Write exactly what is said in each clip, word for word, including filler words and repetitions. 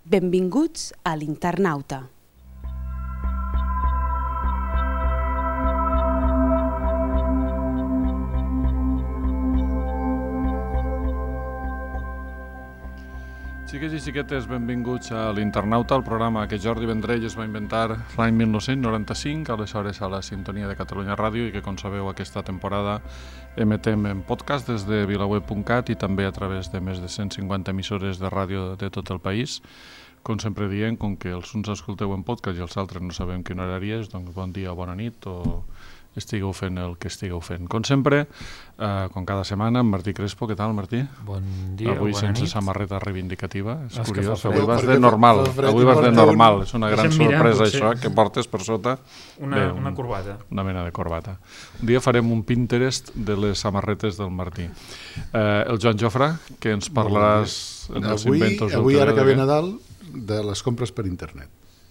Benvinguts a l'Internauta. Xiques i xiquetes, benvinguts a l'Internauta, el programa que Jordi Vendrell es va inventar l'any mil nou-cents noranta-cinc, aleshores a la sintonia de Catalunya Ràdio, i que, com sabeu, aquesta temporada emetem en podcast des de vilaweb punt cat i també a través de més de cent cinquanta emissores de ràdio de tot el país. Com sempre diem, com que els uns escolteu en podcast i els altres no sabem quin horari és, doncs bon dia o bona nit, o estigueu fent el que estigueu fent. Com sempre, eh, com cada setmana, amb Martí Crespo. Què tal, Martí? Bon dia, Avui bona sense nit. samarreta reivindicativa. És És curiós, que avui fa vas fred. de normal. Avui vas de normal. un- És una gran Deixa'm mirar, sorpresa, potser. això, que portes per sota Una, Bé, un- una corbata. una mena de corbata. Un dia farem un Pinterest de les samarretes del Martí. Eh, el Joan Jofre, que ens parlaràs en els Avui, inventos del avui ara que ve T V. Nadal, de les compres per internet.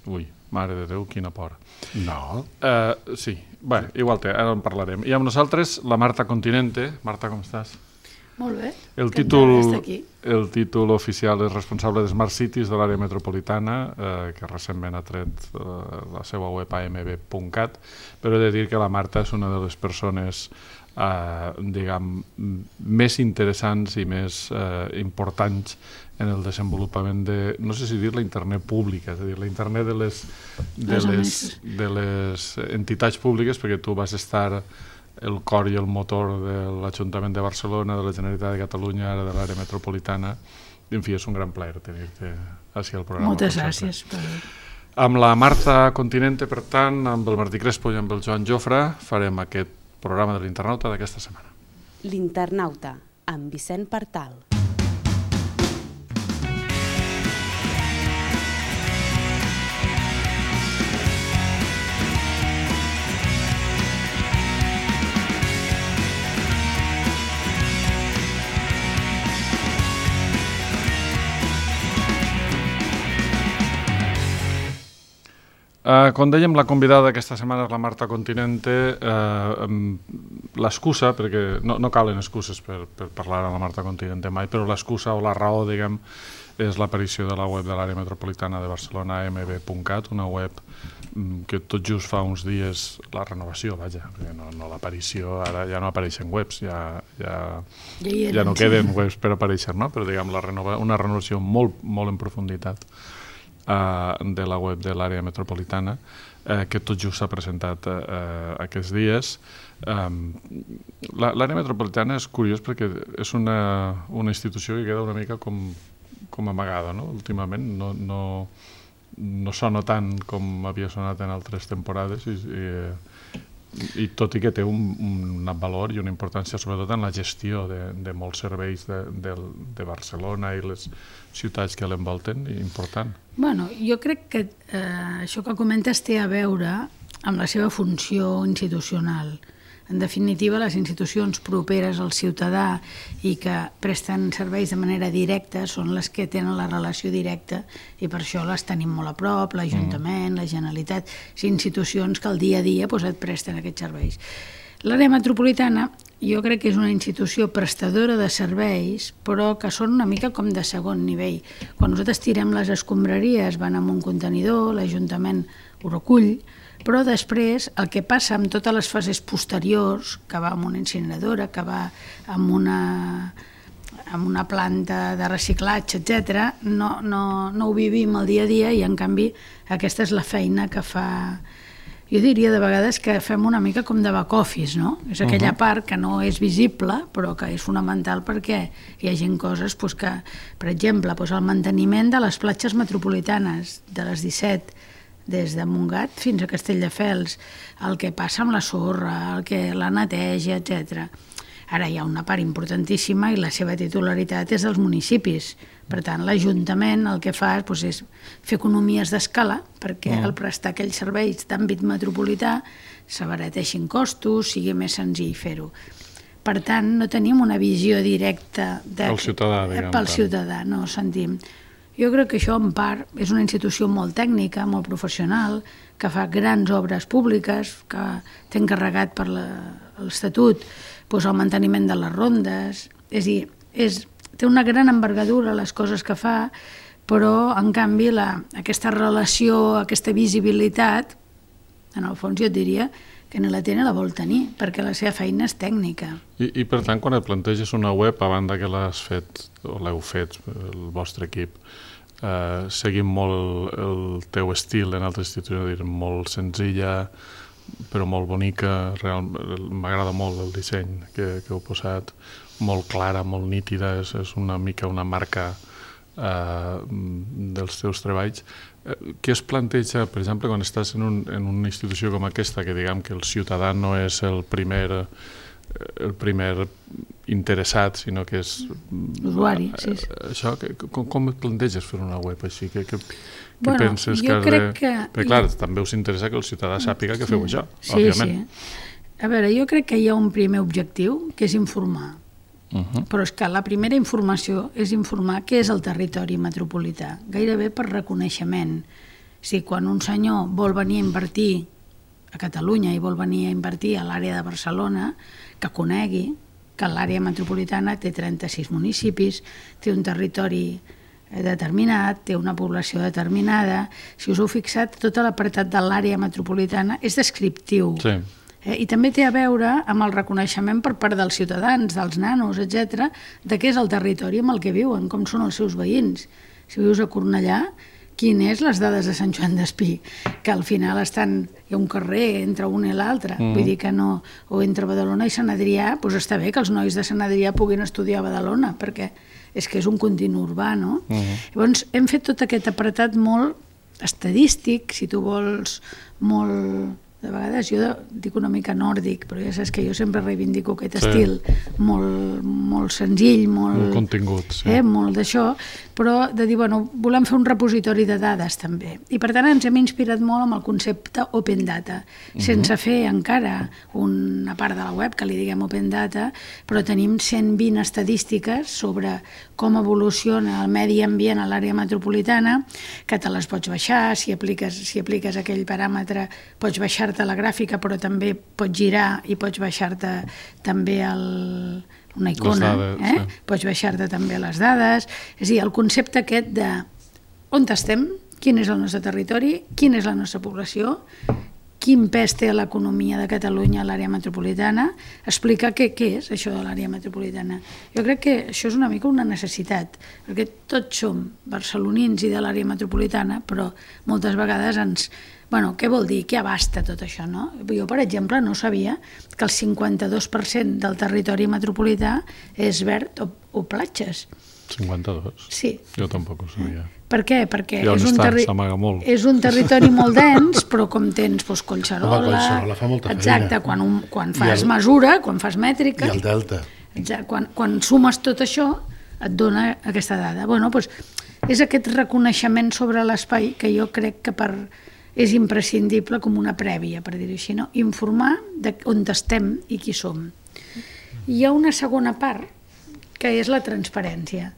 Ui, mare de Déu, quina por. No. Uh, sí, bé, igual té, ara en parlarem. I amb nosaltres la Marta Continente. Marta, com estàs? Molt bé. El Encantada títol, d'estar aquí. el títol oficial és responsable de Smart Cities de l'àrea metropolitana, eh, que recentment ha tret eh, la seva web a eme be punt cat, però he de dir que la Marta és una de les persones eh, diguem, més interessants i més eh, importants en el desenvolupament de, no sé si dir la internet pública, és a dir, la internet de les, de Les les, de les entitats públiques, perquè tu vas estar el cor i el motor de l'Ajuntament de Barcelona, de la Generalitat de Catalunya, ara de l'àrea metropolitana. En fi, és un gran plaer tenir-te així al programa. Moltes com gràcies. sempre. Per... Amb la Marta Continente, per tant, amb el Martí Crespo i amb el Joan Jofre, farem aquest programa de l'Internauta d'aquesta setmana. L'Internauta, amb Vicent Partal. Uh, com dèiem, la convidada d'aquesta setmana és la Marta Continente. Uh, l'excusa, perquè no, no calen excuses per, per parlar amb la Marta Continente mai, però l'excusa o la raó, diguem, és l'aparició de la web de l'àrea metropolitana de Barcelona, eme be punt cat, una web um, que tot just fa uns dies, la renovació, vaja, perquè no, no l'aparició, ara ja no apareixen webs, ja, ja, Ja hi ja eren, no sí. queden webs per aparèixer, no? Però diguem, la renova, una renovació molt, molt en profunditat Uh, de la web de l'àrea metropolitana, uh, que tot just s'ha presentat uh, aquests dies. Um, l'àrea metropolitana és curiós perquè és una, una institució que queda una mica com, com amagada, no? Últimament no, no, no sona tant com havia sonat en altres temporades i, i, i tot i que té un, un valor i una importància sobretot en la gestió de, de molts serveis de, de, de Barcelona i les ciutats que l'envolten, important. Bueno, jo crec que eh, això que comentes té a veure amb la seva funció institucional. En definitiva, les institucions properes al ciutadà i que presten serveis de manera directa són les que tenen la relació directa i per això les tenim molt a prop, l'Ajuntament, mm. la Generalitat, institucions que al dia a dia doncs, et presten aquests serveis. L'àrea metropolitana jo crec que és una institució prestadora de serveis, però que són una mica com de segon nivell. Quan nosaltres tirem les escombraries van amb un contenidor, l'Ajuntament ho recull, però després el que passa amb totes les fases posteriors, que va amb una incineradora, que va amb una, amb una planta de reciclatge, etcètera, no, no, no ho vivim el dia a dia i en canvi aquesta és la feina que fa... Jo diria de vegades que fem una mica com de back office, no? És aquella uh-huh. part que no és visible, però que és fonamental perquè hi hagi coses doncs, que, per exemple, doncs, el manteniment de les platges metropolitanes, de les disset, des de Montgat fins a Castelldefels, el que passa amb la sorra, el que la neteja, etcètera. Ara hi ha una part importantíssima i la seva titularitat és dels municipis. Per tant, l'Ajuntament el que fa doncs, és fer economies d'escala perquè al prestar aquells serveis d'àmbit metropolità s'abarateixin costos, sigui més senzill fer-ho. Per tant, no tenim una visió directa de... Pel ciutadà, diguem. Pel ciutadà, no sentim. Jo crec que això, en part, és una institució molt tècnica, molt professional, que fa grans obres públiques, que té encarregat per l'Estatut doncs, el manteniment de les rondes. És a dir, és, té una gran envergadura les coses que fa, però en canvi la, aquesta relació, aquesta visibilitat, en el fons jo et diria que ni la té ni la vol tenir, perquè la seva feina és tècnica. I, i per tant, quan et planteges una web, a banda que l'has fet, o l'heu fet, el vostre equip, eh, seguint molt el teu estil en altres institucions, molt senzilla, però molt bonica, m'agrada molt el disseny que, que heu posat, molt clara, molt nítida, és, és una mica una marca eh, dels teus treballs. Eh, què es planteja, per exemple, quan estàs en, un, en una institució com aquesta, que diguem que el ciutadà no és el primer, el primer interessat, sinó que és... L'usuari, sí. sí. Això, que, com, com et planteges fer una web així? Que, que, què bueno, penses que has de... Que... Perquè, clar, també us interessa que el ciutadà sàpiga que feu sí. això, sí, òbviament. Sí. A veure, jo crec que hi ha un primer objectiu, que és informar. Uh -huh. Però és que la primera informació és informar què és el territori metropolità, gairebé per reconeixement. Si quan un senyor vol venir a invertir a Catalunya i vol venir a invertir a l'àrea de Barcelona, que conegui que l'àrea metropolitana té trenta-sis municipis, té un territori determinat, té una població determinada. Si us heu fixat, tot l'apartat de l'àrea metropolitana és descriptiu. Sí. Eh? I també té a veure amb el reconeixement per part dels ciutadans, dels nanos, etcètera, de què és el territori amb el que viuen, com són els seus veïns. Si vius a Cornellà, quines les dades de Sant Joan d'Espí, que al final estan, hi ha un carrer entre un i l'altre, mm. vull dir que no, o entre Badalona i Sant Adrià, doncs està bé que els nois de Sant Adrià puguin estudiar a Badalona, perquè és que és un continu urbà, no? Mm. Llavors, hem fet tot aquest apartat molt estadístic, si tu vols, molt... De vegades jo dic una mica nòrdic, però ja saps que jo sempre reivindico aquest sí. estil molt, molt senzill, molt, molt contingut, sí. eh, molt d'això, però de dir, bueno, volem fer un repositori de dades també. I per tant ens hem inspirat molt amb el concepte Open Data, uh-huh. sense fer encara una part de la web que li diguem Open Data, però tenim cent vint estadístiques sobre com evoluciona el medi ambient a l'àrea metropolitana, que te les pots baixar, si apliques, si apliques aquell paràmetre pots baixar-te la gràfica, però també pots girar i pots baixar-te també el, una icona, dades, eh? sí. Pots baixar-te també les dades. És a dir, el concepte aquest de on estem, quin és el nostre territori, quina és la nostra població, quin pes té l'economia de Catalunya a l'àrea metropolitana, explicar què, què és això de l'àrea metropolitana. Jo crec que això és una mica una necessitat, perquè tots som barcelonins i de l'àrea metropolitana, però moltes vegades ens... Bueno, què vol dir? Què abasta tot això, no? Jo, per exemple, no sabia que el cinquanta-dos per cent del territori metropolità és verd o, o platges. cinquanta-dos? Sí. Jo tampoc ho sabia. Per què? Perquè I on és un, està? terri... S'amaga molt. és un territori molt dens, però com tens doncs, Collserola... Home, Collserola fa molta feina. Exacte, quan, un, quan fas el... mesura, quan fas mètrica... I el delta. Exacte, quan, quan sumes tot això, et dona aquesta dada. Bueno, doncs, és aquest reconeixement sobre l'espai que jo crec que per... és imprescindible com una prèvia, per dir-ho així, no? Informar de on estem i qui som. Hi ha una segona part, que és la transparència.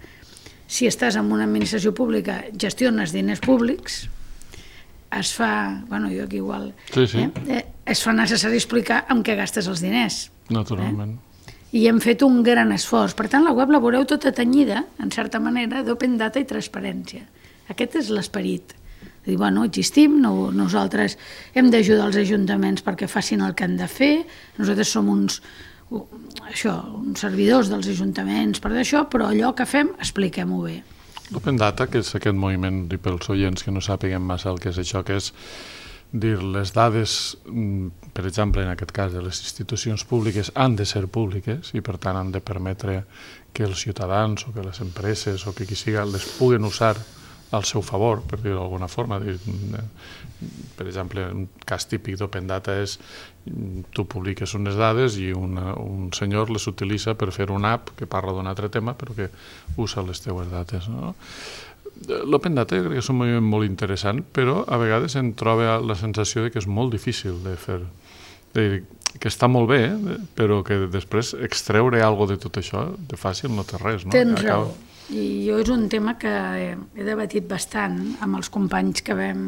Si estàs en una administració pública, gestiones diners públics, es fa, bueno, jo aquí igual, sí, sí. Eh, es fa necessari explicar amb què gastes els diners. Naturalment. Eh? I hem fet un gran esforç. Per tant, la web la veureu tota tenyida, en certa manera, d'open data i transparència. Aquest és l'esperit. Dir, bueno, existim, no, nosaltres hem d'ajudar els ajuntaments perquè facin el que han de fer, nosaltres som uns, això, uns servidors dels ajuntaments per això, però allò que fem, expliquem-ho bé. L'Open Data, que és aquest moviment, i pels oients que no sàpiguen massa el que és això, que és dir, les dades, per exemple, en aquest cas de les institucions públiques, han de ser públiques i per tant han de permetre que els ciutadans o que les empreses o que qui siga les puguen usar al seu favor, per dir-ho d'alguna forma. Per exemple, un cas típic d'Open Data és tu publiques unes dades i una, un senyor les utilitza per fer una app que parla d'un altre tema però que usa les teues dates, no? L'Open Data jo crec que és un moviment molt interessant, però a vegades em troba la sensació de que és molt difícil de fer, de dir, que està molt bé, eh? Però que després extreure alguna cosa de tot això de fàcil no té res, no? Tens raó. I jo és un tema que he debatit bastant amb els companys que vam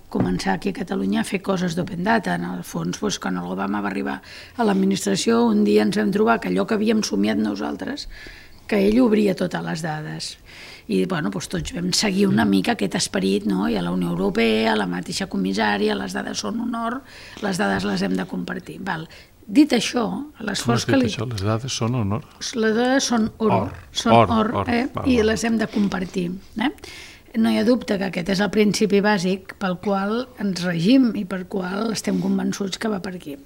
començar aquí a Catalunya a fer coses d'Open Data. En el fons, doncs, quan el Obama va arribar a l'administració, un dia ens vam trobar que allò que havíem somiat nosaltres, que ell obria totes les dades. i bueno, doncs tots vam seguir una mica aquest esperit, no? I a la Unió Europea, a la mateixa comissària, les dades són honor, les dades les hem de compartir. Val. Dit això, l'esforç que li... Això? Les dades són honor? Les dades són oro, or, són or, or, or eh? val, i val. les hem de compartir. Eh? No hi ha dubte que aquest és el principi bàsic pel qual ens regim i per qual estem convençuts que va per aquí.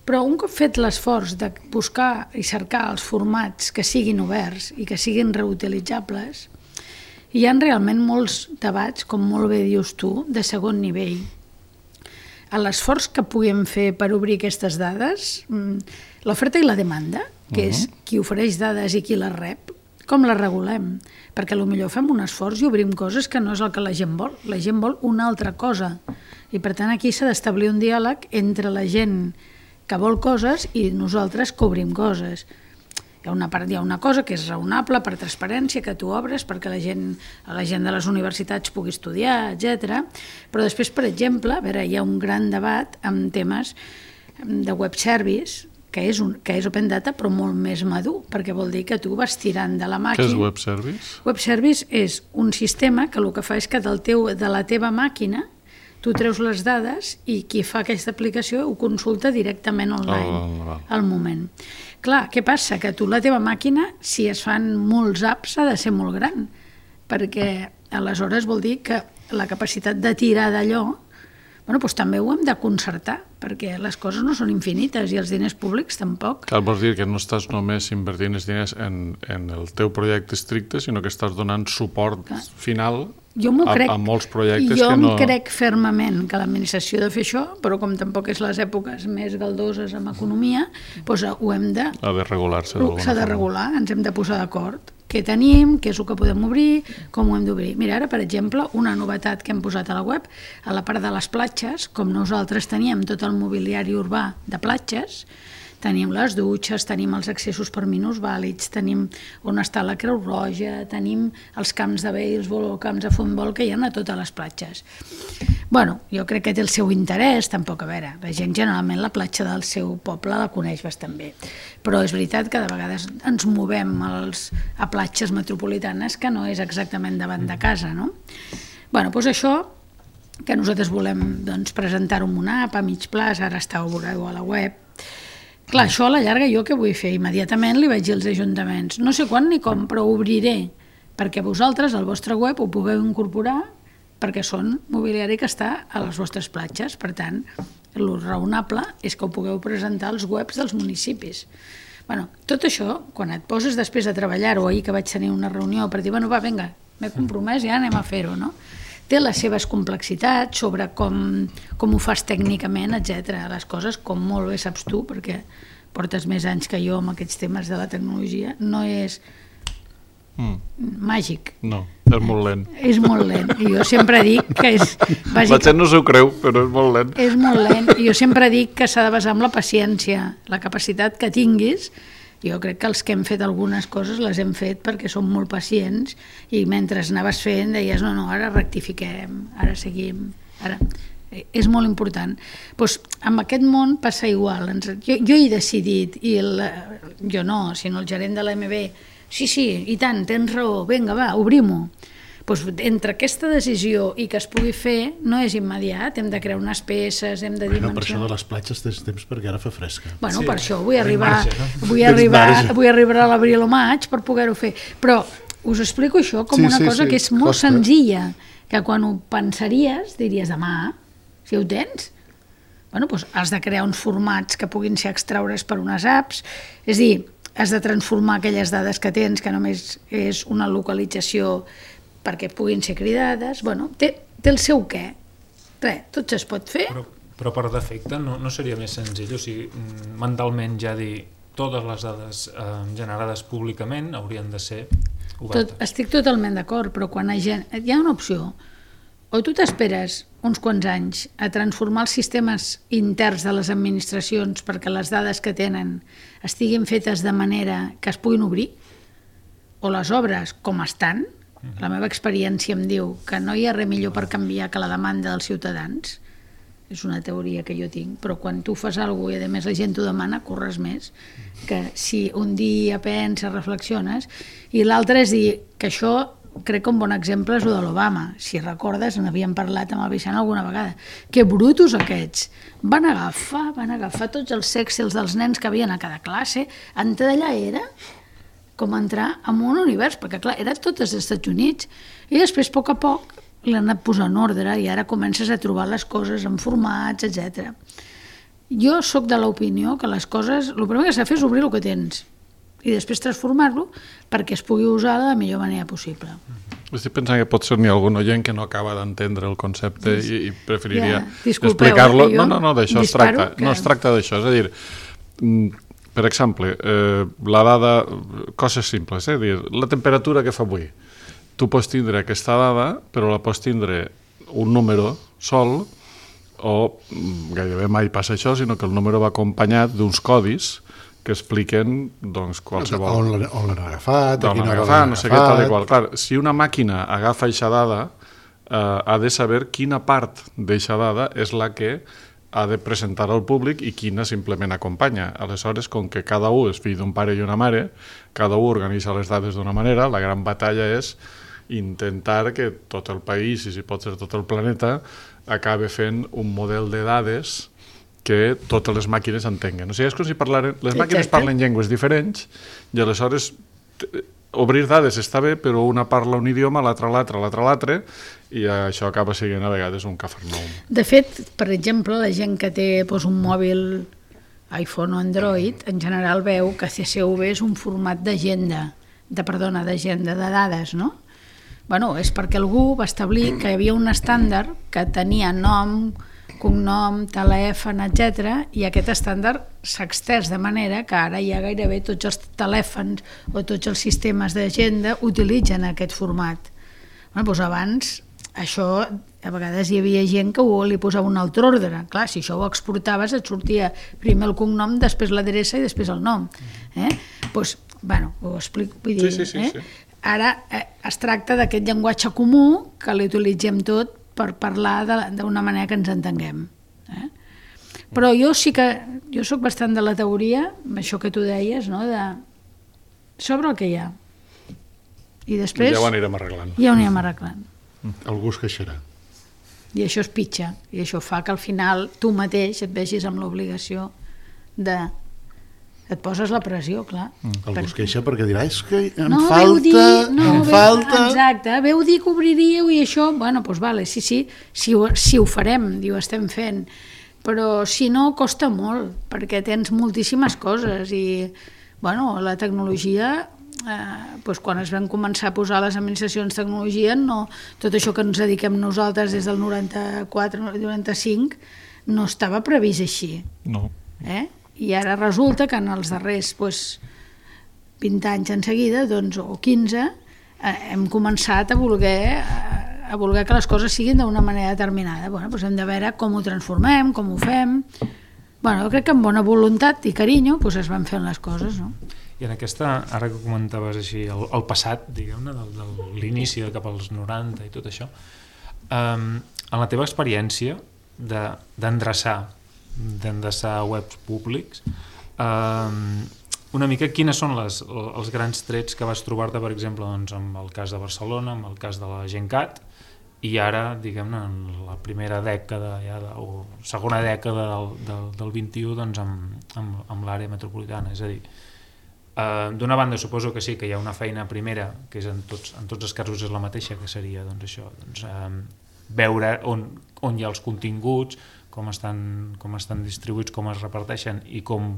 Però un cop fet l'esforç de buscar i cercar els formats que siguin oberts i que siguin reutilitzables, hi ha realment molts debats, com molt bé dius tu, de segon nivell. A l'esforç que puguem fer per obrir aquestes dades, l'oferta i la demanda, que és qui ofereix dades i qui les rep, com les regulem? Perquè potser fem un esforç i obrim coses que no és el que la gent vol. La gent vol una altra cosa. I per tant aquí s'ha d'establir un diàleg entre la gent que vol coses i nosaltres que obrim coses. Hi ha una part, hi ha una cosa que és raonable per transparència, que tu obres perquè la gent, la gent de les universitats pugui estudiar, etcètera. Però després, per exemple, a veure, hi ha un gran debat amb temes de web service, que és, un, que és open data, però molt més madur, perquè vol dir que tu vas tirant de la màquina... Què és web service? Web service és un sistema que el que fa és que del teu, de la teva màquina tu treus les dades i qui fa aquesta aplicació ho consulta directament online, oh, oh. al moment. Clar, què passa? Que tu la teva màquina, si es fan molts apps, ha de ser molt gran, perquè aleshores vol dir que la capacitat de tirar d'allò, bueno, doncs també ho hem de concertar, perquè les coses no són infinites i els diners públics tampoc. Cal vols dir que no estàs només invertint els diners en, en el teu projecte estricte, sinó que estàs donant suport Clar. final jo a, crec, a molts projectes jo que no... Jo crec fermament que l'administració ha de fer això, però com tampoc és les èpoques més galdoses amb economia, doncs ho hem de... Ha de regular-se d'alguna forma. S'ha de regular, ens hem de posar d'acord. Què tenim, què és el que podem obrir, com ho hem d'obrir. Mira, ara, per exemple, una novetat que hem posat a la web, a la part de les platges, com nosaltres teníem tot el mobiliari urbà de platges, tenim les dutxes, tenim els accessos per minusvàlids, tenim on està la Creu Roja, tenim els camps de béisbol o camps de futbol que hi ha a totes les platges. Bueno, jo crec que té el seu interès, tampoc, a veure, la gent generalment la platja del seu poble la coneix bastant bé, però és veritat que de vegades ens movem als, a platges metropolitanes que no és exactament davant de casa, no? Bueno, doncs això que nosaltres volem doncs, presentar-ho en una app a mig plaç, ara està a la web. Clar, això a la llarga jo què vull fer? Immediatament li vaig dir als ajuntaments, no sé quan ni com, però ho obriré, perquè vosaltres al vostre web ho pugueu incorporar, perquè són mobiliari que està a les vostres platges. Per tant, el raonable és que ho pugueu presentar als webs dels municipis. Bueno, tot això, quan et poses després a treballar-ho, ahir que vaig tenir una reunió per dir, bueno, va, vinga, m'he compromès, ja anem a fer-ho, no? Té les seves complexitats sobre com, com ho fas tècnicament, etcètera. Les coses, com molt bé saps tu, perquè portes més anys que jo amb aquests temes de la tecnologia, no és mm. màgic. No, és molt lent. És molt lent. I jo sempre dic que és... Bàsic... La gent no s'ho creu, però és molt lent. És molt lent. I jo sempre dic que s'ha de basar en la paciència, la capacitat que tinguis. Jo crec que els que hem fet algunes coses les hem fet perquè som molt pacients i mentre anaves fent deies no, no, ara rectifiquem, ara seguim, ara... És molt important. Pues, amb aquest món passa igual. Jo, jo he decidit, i el, jo no, sinó el gerent de l'A M B, sí, sí, i tant, tens raó, vinga, va, obrim-ho. Pues, entre aquesta decisió i que es pugui fer no és immediat, hem de crear unes peces, hem de dimensionar... Bueno, per això de les platges tens temps perquè ara fa fresca. Bueno, sí, per això vull arribar, marge, no? vull arribar, vull arribar a l'abril o maig per poder-ho fer. Però us explico això com sí, una sí, cosa sí, que és molt costa. senzilla, que quan ho pensaries diries demà, si ho tens, bueno, doncs has de crear uns formats que puguin ser extraure's per unes apps, és a dir, has de transformar aquelles dades que tens, que només és una localització perquè puguin ser cridades, bueno, té, té el seu què. Res, tot es pot fer. Però, però per defecte no, no seria més senzill, o sigui, mentalment ja dir totes les dades eh, generades públicament haurien de ser obertes. Tot, estic totalment d'acord, però quan hi ha, hi ha una opció, o tu t'esperes uns quants anys a transformar els sistemes interns de les administracions perquè les dades que tenen estiguin fetes de manera que es puguin obrir, o les obres com estan. La meva experiència em diu que no hi ha res millor per canviar que la demanda dels ciutadans. És una teoria que jo tinc, però quan tu fas alguna cosa i a més la gent t'ho demana, corres més. Que si un dia penses, reflexiones, i l'altre és dir que això crec que un bon exemple és el de l'Obama. Si recordes, n'havíem parlat amb el Vicent alguna vegada. Que brutos aquests. Van agafar, van agafar tots els excels dels nens que havien a cada classe. Entrar d'allà era com entrar en un univers, perquè clar, eren totes dels Estats Units. I després, a poc a poc, l'han anat posant en ordre i ara comences a trobar les coses en formats, etcètera. Jo sóc de l'opinió que les coses, el primer que s'ha de fer és obrir el que tens i després transformar-lo perquè es pugui usar de la millor manera possible. Estic pensant que pot ser n'hi ha algun oient que no acaba d'entendre el concepte i, i preferiria ja, disculpeu, explicar-lo. eh, No, no, no, d'això es tracta. Que... No es tracta d'això. És a dir, per exemple, eh, la dada, coses simples, eh? Dir, la temperatura que fa avui. Tu pots tindre aquesta dada, però la pots tindre un número sol, o gairebé mai passa això, sinó que el número va acompanyat d'uns codis que expliquen doncs, qualsevol... On l'han agafat, a on quina l'han hora agafat, l'han no sé què, tal i qual. Clar, si una màquina agafa aquesta dada, eh, ha de saber quina part d'aquesta dada és la que ha de presentar al públic i quina simplement acompanya. Aleshores, com que cada un és fill d'un pare i una mare, cada un organitza les dades d'una manera, la gran batalla és intentar que tot el país, i si pot ser tot el planeta, acabe fent un model de dades que totes les màquines entenguen. O sigui, és com si parlaren... Les màquines parlen llengües diferents i aleshores obrir dades està bé, però una parla un idioma, l'altra l'altre, l'altre l'altre, i això acaba sent a vegades un cafarnaum. De fet, per exemple, la gent que té doncs, un mòbil iPhone o Android, en general veu que C S V és un format d'agenda, de, perdona, d'agenda de dades, no? Bueno, és perquè algú va establir que hi havia un estàndard que tenia nom, cognom, telèfon, etcètera, i aquest estàndard s'ha extès de manera que ara ja gairebé tots els telèfons o tots els sistemes d'agenda utilitzen aquest format. Bueno, doncs abans això, a vegades hi havia gent que li posava un altre ordre. Clar, si això ho exportaves et sortia primer el cognom, després l'adreça i després el nom. Eh? Doncs, bueno, ho explico. Vull dir, sí, sí, sí, eh? sí. Ara eh, es tracta d'aquest llenguatge comú que l'utilitzem tot per parlar d'una manera que ens entenguem. Eh? Però jo sí que, jo sóc bastant de la teoria, això que tu deies, no? De sobre el que hi ha. I després... Ja ho anirem arreglant. Ja ho anirem arreglant. Algú es queixarà. I això és pitxa, i això fa que al final tu mateix et vegis amb l'obligació de... Et poses la pressió, clar. Mm. Algú es queixa perquè dirà, és que em no, falta... Dir, no, em veu, falta... Exacte, veu dir que obriríeu i això, bueno, doncs vale, sí, sí, si ho, si ho farem, i ho estem fent, però si no, costa molt, perquè tens moltíssimes coses i, bueno, la tecnologia, eh, doncs quan es van començar a posar les administracions de tecnologia, no, tot això que ens dediquem nosaltres des del noranta-quatre noranta-cinc no estava previst així. No. Eh? I ara resulta que en els darrers doncs, vint anys en seguida, doncs, o quinze, eh, hem començat a voler, a voler que les coses siguin d'una manera determinada. Bueno, doncs hem de veure com ho transformem, com ho fem... Bueno, jo crec que amb bona voluntat i carinyo doncs es van fent les coses, no? I en aquesta, ara que comentaves així, el, el passat, diguem-ne, de, de l'inici de cap als noranta i tot això, um, en la teva experiència de, d'endreçar d'endreçar webs públics, um, una mica quines són les, els grans trets que vas trobar-te, per exemple, doncs, amb el cas de Barcelona, amb el cas de la Gencat, i ara, diguem-ne, en la primera dècada ja de, o segona dècada del, del, del vint-i-u, doncs, amb, amb, amb l'àrea metropolitana. És a dir, uh, d'una banda suposo que sí, que hi ha una feina primera, que és en tots, en tots els casos és la mateixa, que seria doncs, això, doncs, um, veure on, on hi ha els continguts, com estan, com estan distribuïts, com es reparteixen i com,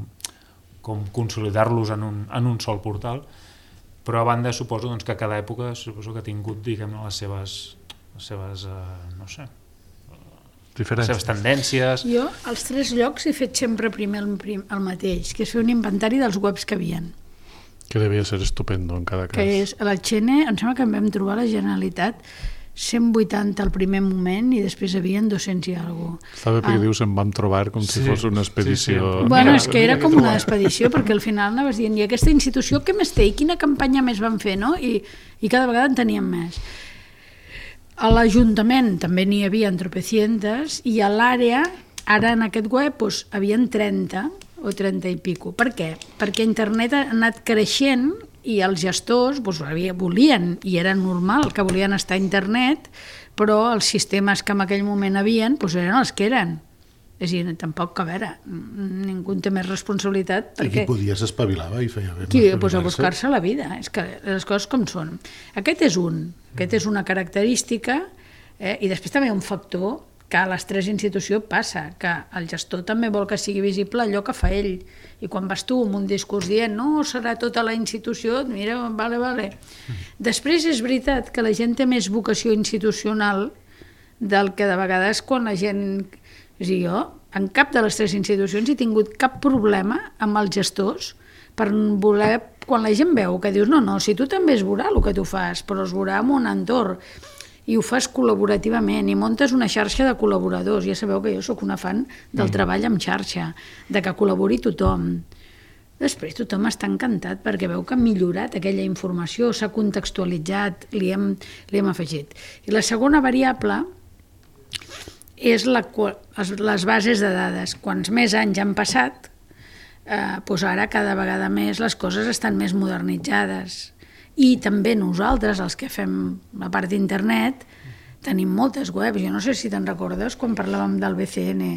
com consolidar-los en un, en un sol portal, però a banda suposo doncs, que cada època suposo que ha tingut, diguem-ne, les seves, les seves uh, no sé, les seves tendències. Jo als tres llocs he fet sempre primer el, prim, el mateix, que és fer un inventari dels webs que havien. Que devia ser estupendo en cada cas. Que és, a la Xene, em sembla que en vam trobar a la Generalitat cent vuitanta al primer moment i després hi havia dos-cents i alguna cosa. Està bé perquè ah. dius en vam trobar com si sí, fos una expedició. Sí, sí. Bueno, és que era com una expedició perquè al final anaves dient i aquesta institució què més té i quina campanya més van fer, no? I, i cada vegada en teníem més. A l'Ajuntament també n'hi havia tropecientes i a l'àrea, ara en aquest web, doncs, havien trenta o trenta i pico. Per què? Perquè internet ha anat creixent i els gestors doncs, volien, i era normal que volien estar a internet, però els sistemes que en aquell moment havien doncs, eren els que eren. És a dir, tampoc, a veure, ningú té més responsabilitat. I qui podia s'espavilava i feia bé. Qui, doncs a buscar-se la vida, és que les coses com són. Aquest és un, aquest és una característica, eh? I després també hi ha un factor que a les tres institucions passa, que el gestor també vol que sigui visible allò que fa ell. I quan vas tu amb un discurs dient no, serà tota la institució, mira, vale, vale. Després és veritat que la gent té més vocació institucional del que de vegades quan la gent... És a dir, jo, en cap de les tres institucions he tingut cap problema amb els gestors per voler, quan la gent veu que dius, no, no, si tu també es veurà el que tu fas, però es veurà en un entorn, i ho fas col·laborativament, i muntes una xarxa de col·laboradors. Ja sabeu que jo sóc una fan del treball en xarxa, de que col·labori tothom. Després tothom està encantat perquè veu que ha millorat aquella informació, s'ha contextualitzat, li hem, li hem afegit. I la segona variable és la, les bases de dades. Quants més anys han passat, eh, doncs ara cada vegada més les coses estan més modernitzades. I també nosaltres, els que fem la part d'internet, tenim moltes webs. Jo no sé si te'n recordes quan parlàvem del B C N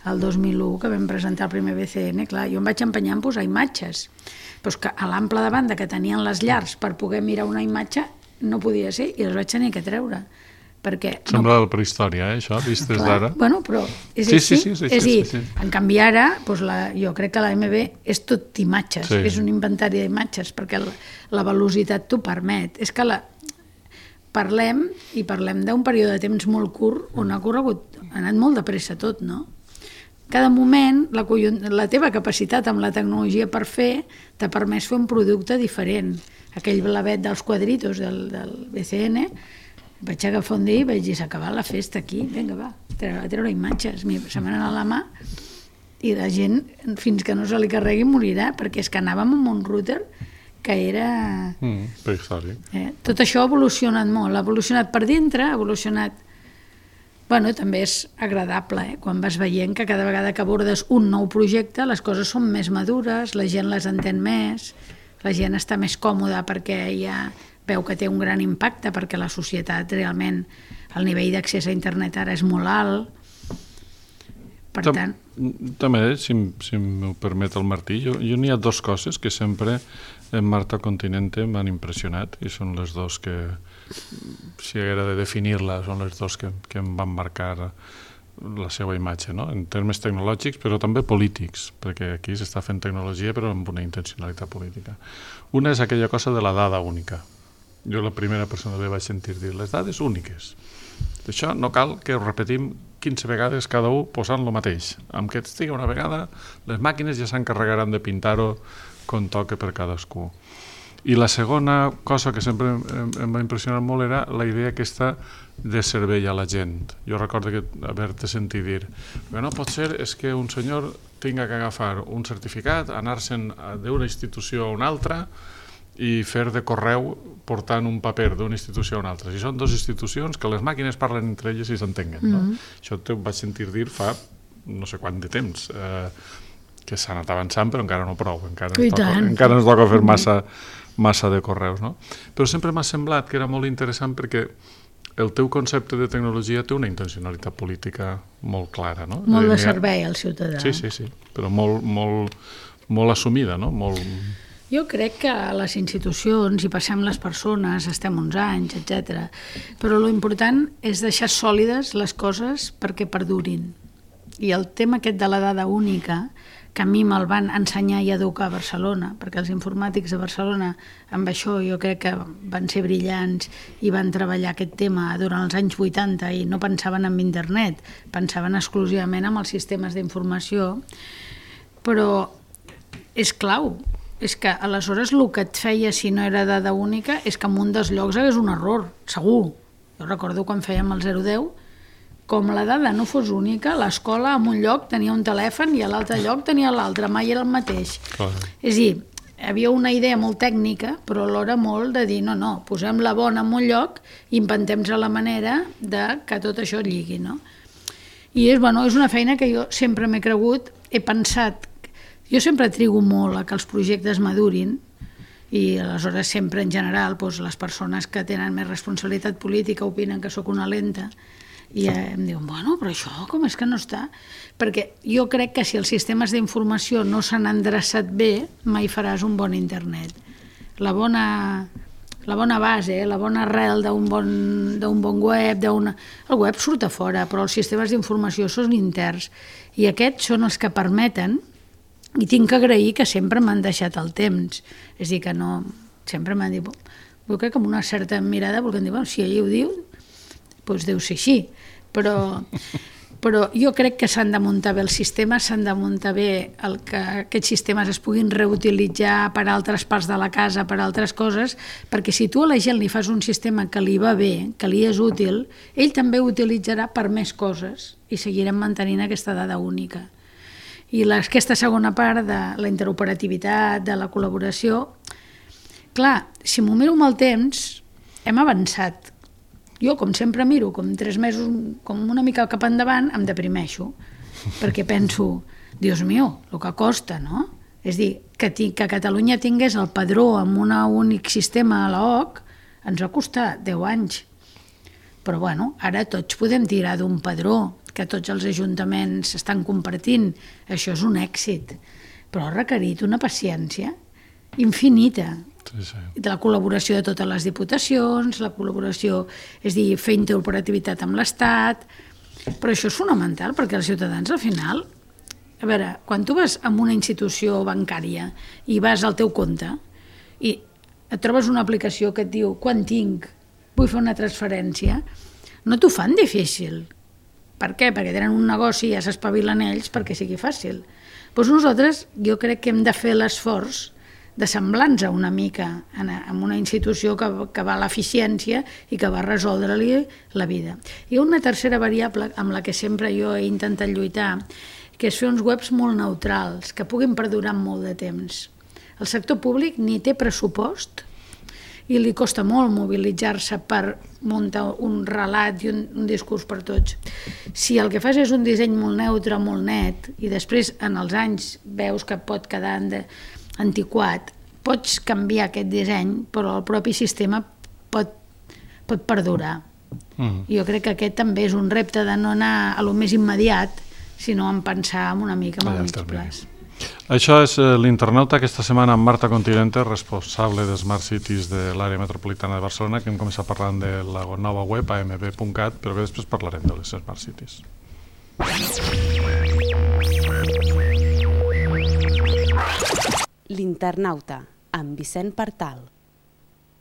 el dos mil u, que vam presentar el primer B C N. Clar, jo em vaig empenyar en posar imatges. Però que a l'ample de banda que tenien les llars per poder mirar una imatge no podia ser i les vaig tenir que treure. Perquè Sembla no... la prehistòria, eh, això, vist des d'ara. Bueno, però és sí, així. Sí, sí, sí, és sí, dir, sí, sí. en canvi ara, doncs la, jo crec que la M B és tot imatges, sí. És un inventari d'imatges, perquè la, la velocitat t'ho permet. És que la, parlem, i parlem d'un període de temps molt curt, on ha corregut, ha anat molt de pressa tot, no? Cada moment, la, la teva capacitat amb la tecnologia per fer t'ha permès fer un producte diferent. Aquell blavet dels quadritos del, del B C N, vaig agafar un dia i vaig dir, s'ha acabat la festa aquí, vinga, va, a treure, a treure imatges. Se m'ha anat a la mà i la gent, fins que no se li carregui, morirà, perquè és que anàvem amb un router que era... Mm, prehistòric. Eh? Tot això ha evolucionat molt, ha evolucionat per dintre, ha evolucionat... Bueno, també és agradable, eh? Quan vas veient que cada vegada que abordes un nou projecte les coses són més madures, la gent les entén més, la gent està més còmoda perquè ja veu que té un gran impacte, perquè la societat realment, el nivell d'accés a internet ara és molt alt. Per Tam, tant... També, si, si m'ho permet el Martí, jo, jo n'hi ha dues coses que sempre en Marta Continente m'han impressionat, i són les dues que, si haguera de definir-la, són les dues que, que em van marcar la seva imatge, no? En termes tecnològics, però també polítics, perquè aquí s'està fent tecnologia però amb una intencionalitat política. Una és aquella cosa de la dada única. Jo la primera persona que vaig sentir dir les dades úniques. D'això no cal que ho repetim quinze vegades cada un posant lo mateix. Amb que estigui una vegada, les màquines ja s'encarregaran de pintar-ho com toca per cadascú. I la segona cosa que sempre em, em va impressionar molt era la idea aquesta de servei a la gent. Jo recordo que haver-te sentit dir que no pot ser és que un senyor tinga que agafar un certificat, anar-se'n d'una institució a una altra i fer de correu portant un paper d'una institució a una altra. Si són dues institucions, que les màquines parlen entre elles i s'entenguen. No? Mm-hmm. Això t'ho vaig sentir dir fa no sé quant de temps, eh, que s'ha anat avançant però encara no prou, encara ens toca, encara ens toca fer massa, massa de correus. No? Però sempre m'ha semblat que era molt interessant perquè el teu concepte de tecnologia té una intencionalitat política molt clara. No? Molt de servei al ciutadà. Sí, sí, sí, però molt, molt, molt assumida, no? Molt... Jo crec que a les institucions hi passem les persones, estem uns anys, etcètera. Però l'important és deixar sòlides les coses perquè perdurin. I el tema aquest de la dada única, que a mi me'l van ensenyar i educar a Barcelona, perquè els informàtics de Barcelona amb això jo crec que van ser brillants i van treballar aquest tema durant els anys vuitanta i no pensaven en internet, pensaven exclusivament en els sistemes d'informació, però és clau. És que aleshores el que et feia si no era dada única és que en un dels llocs hagués un error, segur. Jo recordo quan fèiem el zero deu, com la dada no fos única, l'escola en un lloc tenia un telèfon i a l'altre lloc tenia l'altre, mai era el mateix. Clar. És a dir, havia una idea molt tècnica, però alhora molt de dir, no, no, posem la bona en un lloc i inventem-nos la manera de que tot això lligui, no? I és, bueno, és una feina que jo sempre m'he cregut, he pensat. Jo sempre trigo molt a que els projectes madurin i aleshores sempre en general doncs, les persones que tenen més responsabilitat política opinen que sóc una lenta i eh, em diuen, bueno, però això com és que no està? Perquè jo crec que si els sistemes d'informació no s'han endreçat bé, mai faràs un bon internet. La bona, la bona base, la bona arrel d'un bon, d'un bon web, d'una... el web surt a fora, però els sistemes d'informació són interns i aquests són els que permeten. I tinc que agrair que sempre m'han deixat el temps. És a dir, que no... Sempre m'han dit... Jo crec que amb una certa mirada, perquè em diuen, bueno, si ell ho diu, doncs deu ser així. Però, però jo crec que s'han de muntar bé els sistemes, s'han de muntar bé el que aquests sistemes es puguin reutilitzar per a altres parts de la casa, per a altres coses, perquè si tu a la gent li fas un sistema que li va bé, que li és útil, ell també ho utilitzarà per més coses i seguirem mantenint aquesta dada única. I aquesta segona part de la interoperativitat, de la col·laboració, clar, si m'ho miro amb el temps, hem avançat. Jo, com sempre miro, com tres mesos, com una mica cap endavant, em deprimeixo, perquè penso, Dios mío, el que costa, no? És dir, que, que Catalunya tingués el padró amb un únic sistema a l'O C ens va costar deu anys. Però bueno, ara tots podem tirar d'un padró, que tots els ajuntaments estan compartint. Això és un èxit, però ha requerit una paciència infinita. Sí, sí. De la col·laboració de totes les diputacions, la col·laboració, és dir, fer interoperativitat amb l'Estat, però això és fonamental perquè els ciutadans al final, a veure, quan tu vas a una institució bancària i vas al teu compte i et trobes una aplicació que et diu quan tinc, vull fer una transferència, no t'ho fan difícil. Per què? Perquè tenen un negoci i ja s'espavilen ells perquè sigui fàcil. Doncs nosaltres jo crec que hem de fer l'esforç de semblar-nos una mica en una institució que, que va a l'eficiència i que va resoldre-li la vida. I una tercera variable amb la que sempre jo he intentat lluitar, que és fer uns webs molt neutrals, que puguin perdurar molt de temps. El sector públic ni té pressupost i li costa molt mobilitzar-se per muntar un relat i un, un discurs per tots. Si el que fas és un disseny molt neutre, molt net, i després en els anys veus que pot quedar antiquat, pots canviar aquest disseny, però el propi sistema pot, pot perdurar. Mm. Jo crec que aquest també és un repte de no anar a lo més immediat, sinó en pensar una mica amb el mig plaç. Això és l'Internauta, aquesta setmana amb Marta Continente, responsable de Smart Cities de l'àrea metropolitana de Barcelona, que hem començat parlant de la nova web a m b punt cat, però que després parlarem de les Smart Cities. L'Internauta, amb Vicent Partal.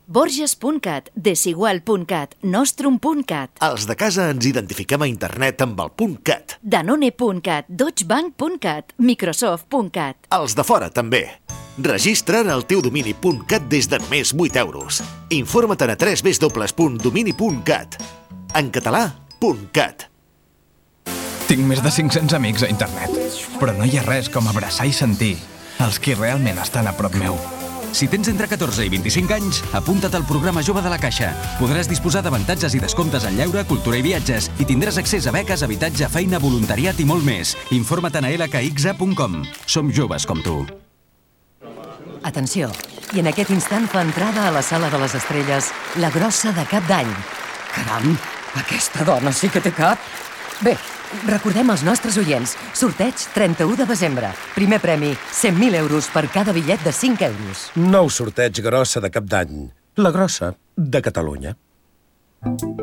Borges punt cat, Desigual punt cat, Nostrum punt cat. Els de casa ens identifiquem a internet amb el .cat. Danone punt cat, Deutsche Bank punt cat, Microsoft punt cat. Els de fora també. Registra't el teu domini .cat des de només vuit euros. Informa't a w w w punt domini punt cat. En català, .cat. Tinc més de cinc-cents amics a internet, però no hi ha res com abraçar i sentir els qui realment estan a prop meu. Si tens entre catorze i vint-i-cinc anys, apunta't al programa Jove de la Caixa. Podràs disposar d'avantatges i descomptes en lleure, cultura i viatges i tindràs accés a beques, habitatge, feina, voluntariat i molt més. Informa't a l k x a punt com. Som joves com tu. Atenció, i en aquest instant fa entrada a la sala de les estrelles la grossa de Cap d'Any. Caram, aquesta dona sí que té cap. Bé, recordem als nostres oients, sorteig trenta-u de desembre. Primer premi, cent mil euros per cada bitllet de cinc euros. Nou sorteig grossa de Cap d'Any. La grossa de Catalunya.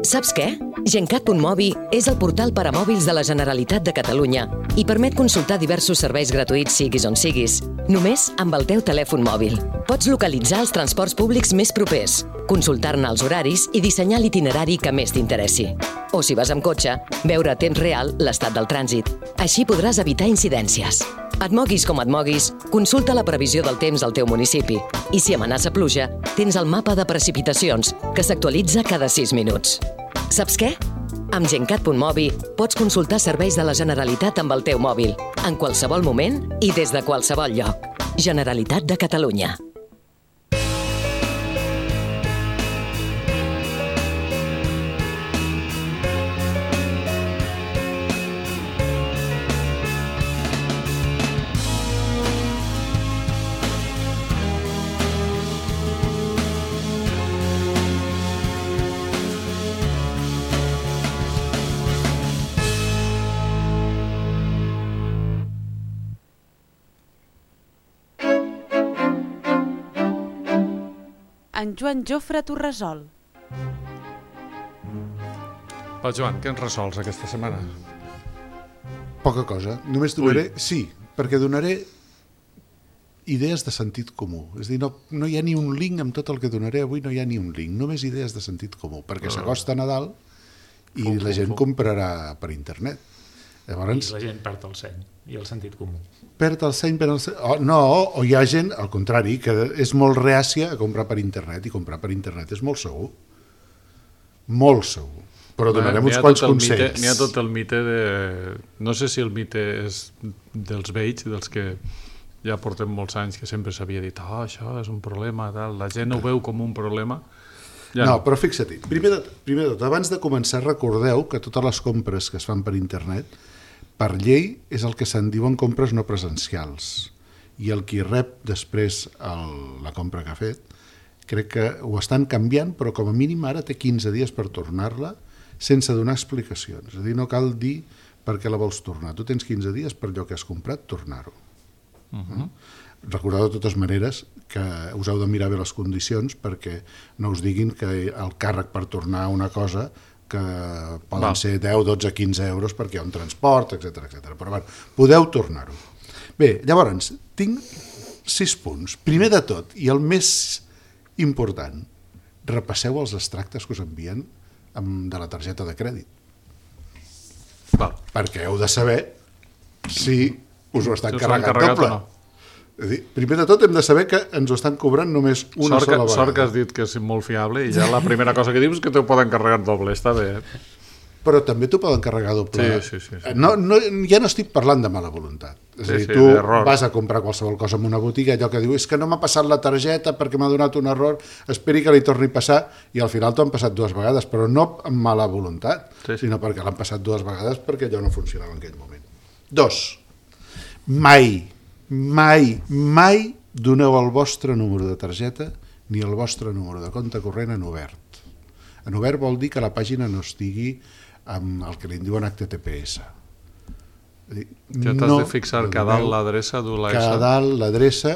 Saps què? Gencat punt mobi és el portal per a mòbils de la Generalitat de Catalunya i permet consultar diversos serveis gratuïts siguis on siguis, només amb el teu telèfon mòbil. Pots localitzar els transports públics més propers, consultar-ne els horaris i dissenyar l'itinerari que més t'interessi. O si vas amb cotxe, veure a temps real l'estat del trànsit. Així podràs evitar incidències. Et moguis com et moguis, consulta la previsió del temps al teu municipi. I si amenaça pluja, tens el mapa de precipitacions, que s'actualitza cada sis minuts. Saps què? Amb Gencat punt mobi pots consultar serveis de la Generalitat amb el teu mòbil, en qualsevol moment i des de qualsevol lloc. Generalitat de Catalunya. en Joan Jofre Torresol. Va, Joan, què ens resols aquesta setmana? Poca cosa. Només donaré... Ui. Sí, perquè donaré idees de sentit comú. És a dir, no, no hi ha ni un link amb tot el que donaré avui, no hi ha ni un link. Només idees de sentit comú, perquè uh. s'acosta Nadal i fum, la gent fum, fum. comprarà per internet. Llavors, I la gent perd el seny i el sentit comú. Perd el seny, perd el seny... Oh, no, o hi ha gent, al contrari, que és molt reàcia a comprar per internet, i comprar per internet és molt segur. Molt segur. Però donarem uns quants consells. N'hi ha tot el mite de... No sé si el mite és dels vells, dels que ja portem molts anys, que sempre s'havia dit oh, això és un problema, tal. La gent ho veu com un problema. Ja no, no, però fixa't, primer de, primer de tot, abans de començar, recordeu que totes les compres que es fan per internet, per llei, és el que se'n diuen compres no presencials. I el qui rep després el, la compra que ha fet, crec que ho estan canviant, però com a mínim ara té quinze dies per tornar-la sense donar explicacions. És a dir, no cal dir per què la vols tornar. Tu tens quinze dies per allò que has comprat, tornar-ho. Uh-huh. Recordeu de totes maneres que us heu de mirar bé les condicions perquè no us diguin que el càrrec per tornar una cosa que poden Va. ser deu, dotze, quinze euros perquè hi ha un transport, etcètera, etcètera. Però bueno, podeu tornar-ho. Bé, llavors, tinc sis punts. Primer de tot, i el més important, repasseu els extractes que us envien de la targeta de crèdit. Val. Perquè heu de saber si us ho estan si carregant doble. No. És dir, primer de tot hem de saber que ens ho estan cobrant només una sort que, sola vegada. Sort que has dit que és molt fiable i ja la primera cosa que dius és que t'ho poden carregar doble, està bé. Eh? Però també t'ho poden carregar doble. Sí, sí, sí, sí. No, no, ja no estic parlant de mala voluntat. És sí, a dir, sí, tu d'error. Vas a comprar qualsevol cosa en una botiga, allò que diu és que no m'ha passat la targeta perquè m'ha donat un error, esperi que li torni a passar, i al final t'ho han passat dues vegades, però no amb mala voluntat, sí, sí. sinó perquè l'han passat dues vegades perquè allò no funcionava en aquell moment. Dos, mai, mai, mai doneu el vostre número de targeta ni el vostre número de compte corrent en obert. En obert vol dir que la pàgina no estigui amb el que li diuen H T T P S. Ja t'has no, de fixar que a dalt l'adreça du l'A S. Que a dalt l'adreça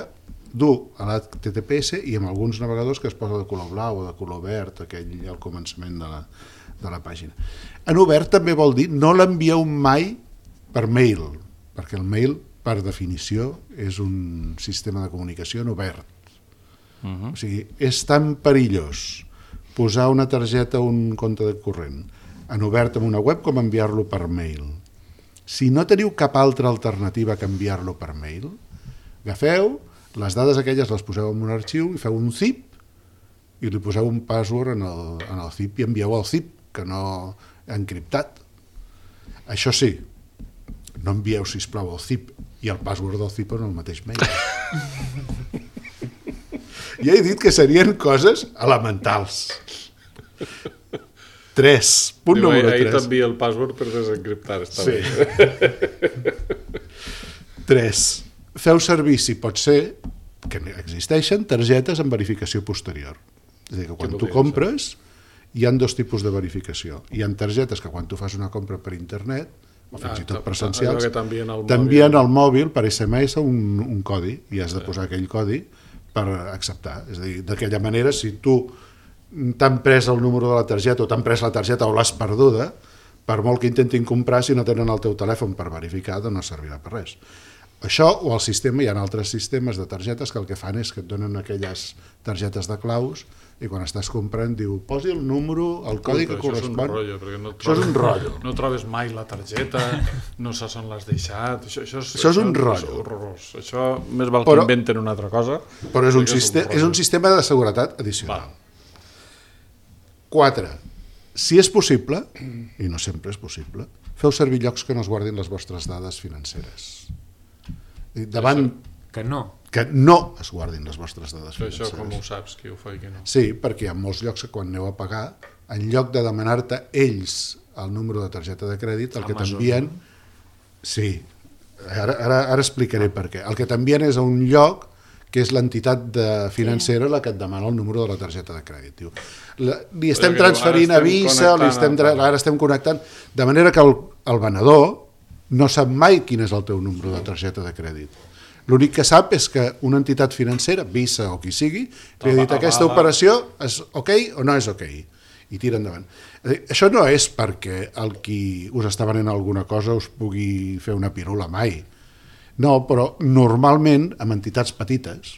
du a l'H T T P S i amb alguns navegadors que es posa de color blau o de color verd, aquell al començament de la, de la pàgina. En obert també vol dir no l'envieu mai per mail, perquè el mail, per definició, és un sistema de comunicació en obert. Uh-huh. O sigui, és tan perillós posar una targeta o un compte de corrent en obert en una web com enviar-lo per mail. Si no teniu cap altra alternativa que enviar-lo per mail, agafeu les dades aquelles, les poseu en un arxiu i feu un zip i li poseu un password en el, en el zip i envieu el zip, que no encriptat. Això sí, no envieu, sisplau, el zip i el password del zip en el mateix mail. Ja he dit que serien coses elementals. tres. Punt Diu, número ahir tres. Ahir t'envia el password per desencriptar, està sí. bé. tres. Feu servir, si pot ser, que existeixen targetes amb verificació posterior. És a dir, que quan tu compres, hi ha dos tipus de verificació. Hi ha targetes que quan tu fas una compra per internet, o fins ah, i tot presencials, t'envien al mòbil per S M S un, un codi, i has de posar aquell codi per acceptar. És a dir, d'aquella manera, si tu t'han pres el número de la targeta o t'han pres la targeta o l'has perduda, per molt que intentin comprar, si no tenen el teu telèfon per verificar, doncs no servirà per res. Això o el sistema, hi ha altres sistemes de targetes que el que fan és que et donen aquelles targetes de claus i quan estàs comprant diu posi el número, el codi que correspon. Això és un rotllo, perquè no això és un rotllo. No trobes mai la targeta, no saps on l'has deixat. Això, això, és, això és un rotllo. És això més val que però, inventen una altra cosa. Però és un, sistema, és un sistema de seguretat addicional. Va. quatre. Si és possible, i no sempre és possible, feu servir llocs que no es guardin les vostres dades financeres. Davant... Que no. Que no es guardin les vostres dades Però financeres. Això com ho saps, qui ho fa i qui no? Sí, perquè hi ha molts llocs que quan aneu a pagar, en lloc de demanar-te ells el número de targeta de crèdit, el que t'envien... Sí, ara, ara, ara explicaré per què. El que t'envien és a un lloc que és l'entitat financera la que et demana el número de la targeta de crèdit. Diu, la, li estem transferint a Visa, li estem, ara estem connectant, de manera que el, el venedor no sap mai quin és el teu número de targeta de crèdit. L'únic que sap és que una entitat financera, Visa o qui sigui, li ha dit aquesta operació és ok o no és ok, i tira endavant. Això no és perquè el qui us està venent alguna cosa us pugui fer una pirula mai. No, però normalment, amb entitats petites,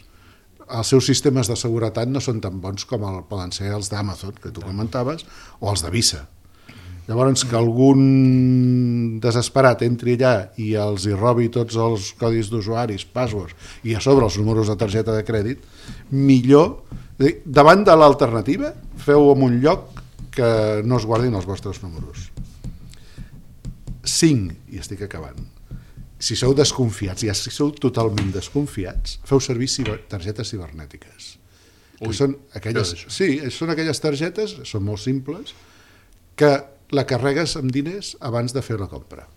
els seus sistemes de seguretat no són tan bons com el, poden ser els d'Amazon, que tu comentaves, o els de Visa. Llavors, que algun desesperat entri allà i els hi robi tots els codis d'usuaris, passwords, i a sobre els números de targeta de crèdit, millor, davant de l'alternativa, feu en un lloc que no es guardin els vostres números. cinc, i estic acabant. Si sou desconfiats, ja si sou totalment desconfiats, feu servir ciber, targetes cibernètiques. Ui, són aquelles, sí, són aquelles targetes, són molt simples, que la carregues amb diners abans de fer la compra.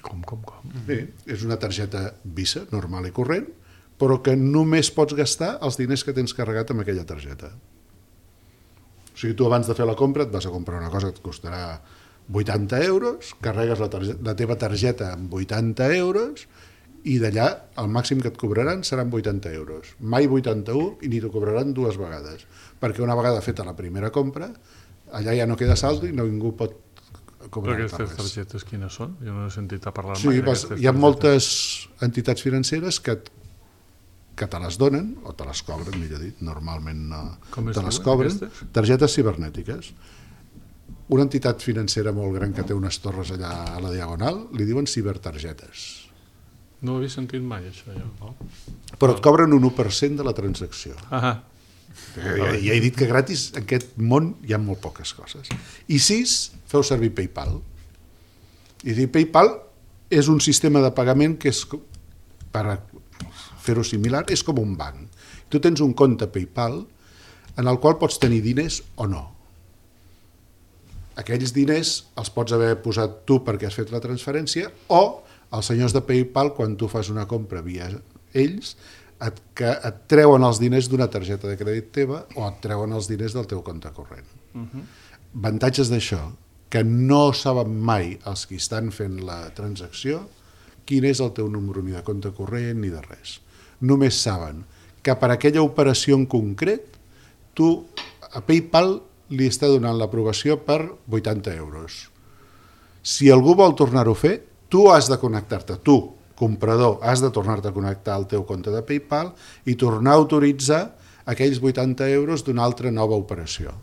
Com, com, com? Bé, és una targeta Visa, normal i corrent, però que només pots gastar els diners que tens carregat amb aquella targeta. O sigui, tu abans de fer la compra et vas a comprar una cosa que et costarà vuitanta euros, carregues la, la teva targeta amb vuitanta euros i d'allà el màxim que et cobraran seran vuitanta euros. Mai vuitanta-u i ni t'ho cobraran dues vegades, perquè una vegada feta la primera compra, allà ja no queda saldo i no ningú pot cobrar res. Però aquestes targetes quines són? Jo no he sentit a parlar sí, mai vas, hi ha moltes entitats financeres que, que te les donen, o te les cobren, millor dit, normalment no, te les cobren, aquestes? Targetes cibernètiques. Una entitat financera molt gran que té unes torres allà a la Diagonal, li diuen cibertargetes. No ho havia sentit mai, això. Jo. Però et cobren un u per cent de la transacció. Ah, Ja, ja he dit que gratis en aquest món hi ha molt poques coses. I sis, feu servir PayPal. I dir, PayPal és un sistema de pagament que és, per fer-ho similar, és com un banc. Tu tens un compte PayPal en el qual pots tenir diners o no. Aquells diners els pots haver posat tu perquè has fet la transferència o els senyors de PayPal, quan tu fas una compra via ells, et, que et treuen els diners d'una targeta de crèdit teva o et treuen els diners del teu compte corrent. Uh-huh. Avantatges d'això, que no saben mai els qui estan fent la transacció quin és el teu número ni de compte corrent ni de res. Només saben que per aquella operació en concret tu a PayPal li està donant l'aprovació per vuitanta euros. Si algú vol tornar-ho a fer, tu has de connectar-te, tu, comprador, has de tornar-te a connectar al teu compte de PayPal i tornar a autoritzar aquells vuitanta euros d'una altra nova operació.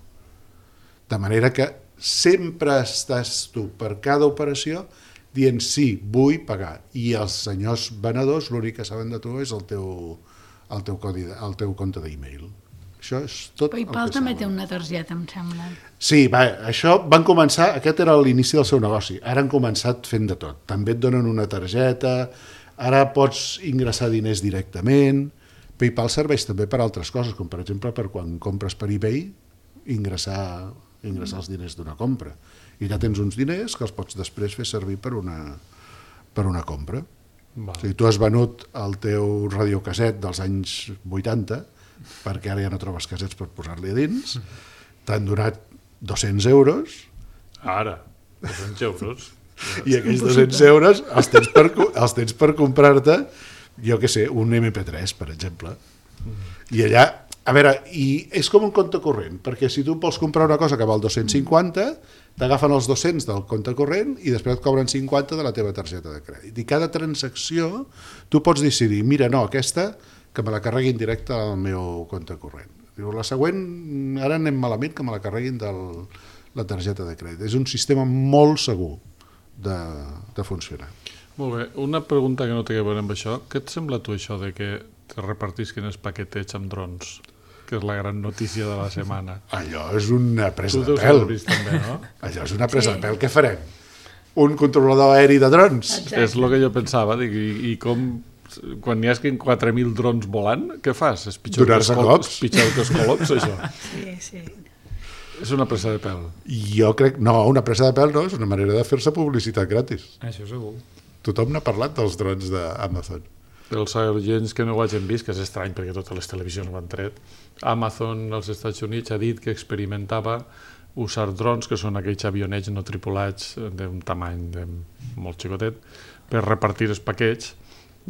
De manera que sempre estàs tu per cada operació dient sí, vull pagar. I els senyors venedors l'únic que saben de tu és el teu, el teu, codi, el teu compte d'e-mail. Això és tot PayPal també té una targeta, em sembla. Sí, va, això van començar, aquest era l'inici del seu negoci, ara han començat fent de tot. També et donen una targeta, ara pots ingressar diners directament. PayPal serveix també per altres coses, com per exemple per quan compres per eBay, ingressar, ingressar els diners d'una compra. I ja tens uns diners que els pots després fer servir per una, per una compra. O sigui, tu has venut el teu radiocasset dels anys vuitanta, perquè ara ja no trobes casets per posar-li a dins, t'han donat dos-cents euros. Ara, dos-cents euros. I aquells dos-cents euros els tens per, els tens per comprar-te, jo què sé, un eme pe tres, per exemple. I allà, a veure, i és com un compte corrent, perquè si tu vols comprar una cosa que val dos-cents cinquanta, t'agafen els dos-cents del compte corrent i després et cobren cinquanta de la teva targeta de crèdit. I cada transacció tu pots decidir, mira, no, aquesta que me la carreguin directe al meu compte corrent. Diu, la següent, ara anem malament, que me la carreguin de la targeta de crèdit. És un sistema molt segur de, de funcionar. Molt bé, una pregunta que no té a veure amb això. Què et sembla tu això de que te repartisquen els paquetets amb drons? Que és la gran notícia de la setmana. Allò és una presa tu de pèl. Vist, també, no? Allò és una presa sí. de pèl. Què farem? Un controlador aeri de drons? Exacte. És el que jo pensava. Dic, i, i com... Quan hi ha quatre mil drons volant, què fas? És pitjor que els colops, pitjor que els colops, això. Sí, sí. És una presa de pèl. Jo crec... No, una presa de pèl no, és una manera de fer-se publicitat gratis. Això segur. Tothom n'ha parlat dels drons d'Amazon. Els agents que no ho hagin vist, que és estrany perquè totes les televisions ho han tret, Amazon als Estats Units ha dit que experimentava usar drons, que són aquells avionets no tripulats d'un tamany de molt xicotet, per repartir els paquets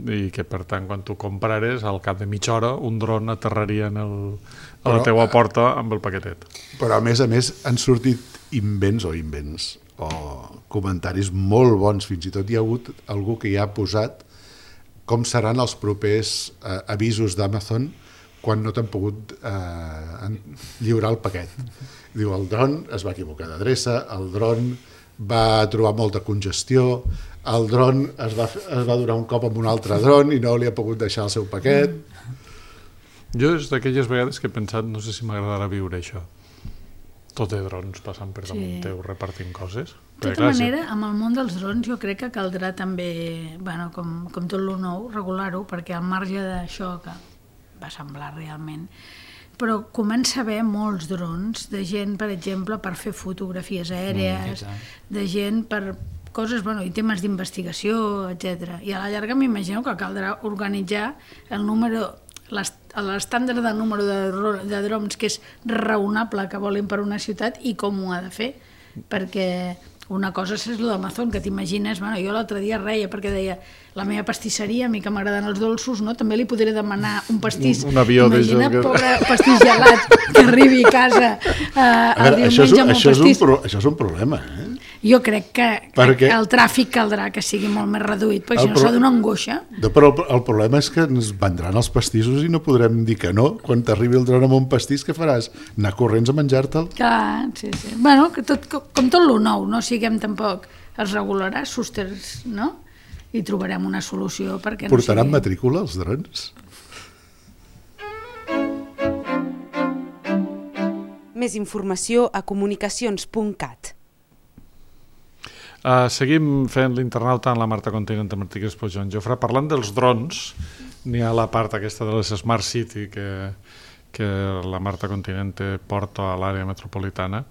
i que per tant quan tu comprares al cap de mitja hora un dron aterraria en el, a la teua porta amb el paquetet. Però a més a més han sortit invents o invents o comentaris molt bons, fins i tot hi ha hagut algú que ja ha posat com seran els propers eh, avisos d'Amazon quan no t'han pogut eh, lliurar el paquet. Diu, el dron es va equivocar d'adreça, el dron va trobar molta congestió, el dron es va, es va donar un cop amb un altre dron i no li ha pogut deixar el seu paquet. Jo és d'aquelles vegades que he pensat, no sé si m'agradarà viure això. Tot de drons passant per damunt sí. teu repartint coses. De tota manera, amb el món dels drons jo crec que caldrà també, bueno, com, com tot lo nou, regular-ho, perquè al marge d'això que va semblar realment, però comença a haver molts drons de gent, per exemple, per fer fotografies aèries, mm, de gent per coses, bueno, i temes d'investigació, etcètera. I a la llarga m'imagino que caldrà organitzar el número, l'estàndard de número de, de drons que és raonable que volin per una ciutat i com ho ha de fer, perquè una cosa és el d'Amazon, que t'imagines, bueno, jo l'altre dia reia perquè deia, la meva pastisseria, a mi que m'agraden els dolços, no? També li podré demanar un pastís. Un, un avió imagina't, que... pobre pastís gelat, que arribi a casa uh, el veure, diumenge amb un això pastís. És un pro, això és un problema, eh? Jo crec que, perquè... que el tràfic caldrà que sigui molt més reduït, perquè si no pro... serà d'una angoixa. No, però el, el problema és que ens vendran els pastissos i no podrem dir que no. Quan t'arribi el dron amb un pastís, què faràs? Anar corrents a menjar-te'l? Clar, sí, sí. Bueno, que tot, com tot lo nou, no siguem tampoc, es regularà, sosters, no? I trobarem una solució perquè no Portaran sigui... matrícula els drons? Més informació a comunicacions punt cat. Uh, seguim fent l'internauta en la Marta Continent de Martí Crespo Joan Jofre. Parlant dels drons, n'hi ha la part aquesta de les Smart City que, que la Marta Continent porta a l'àrea metropolitana.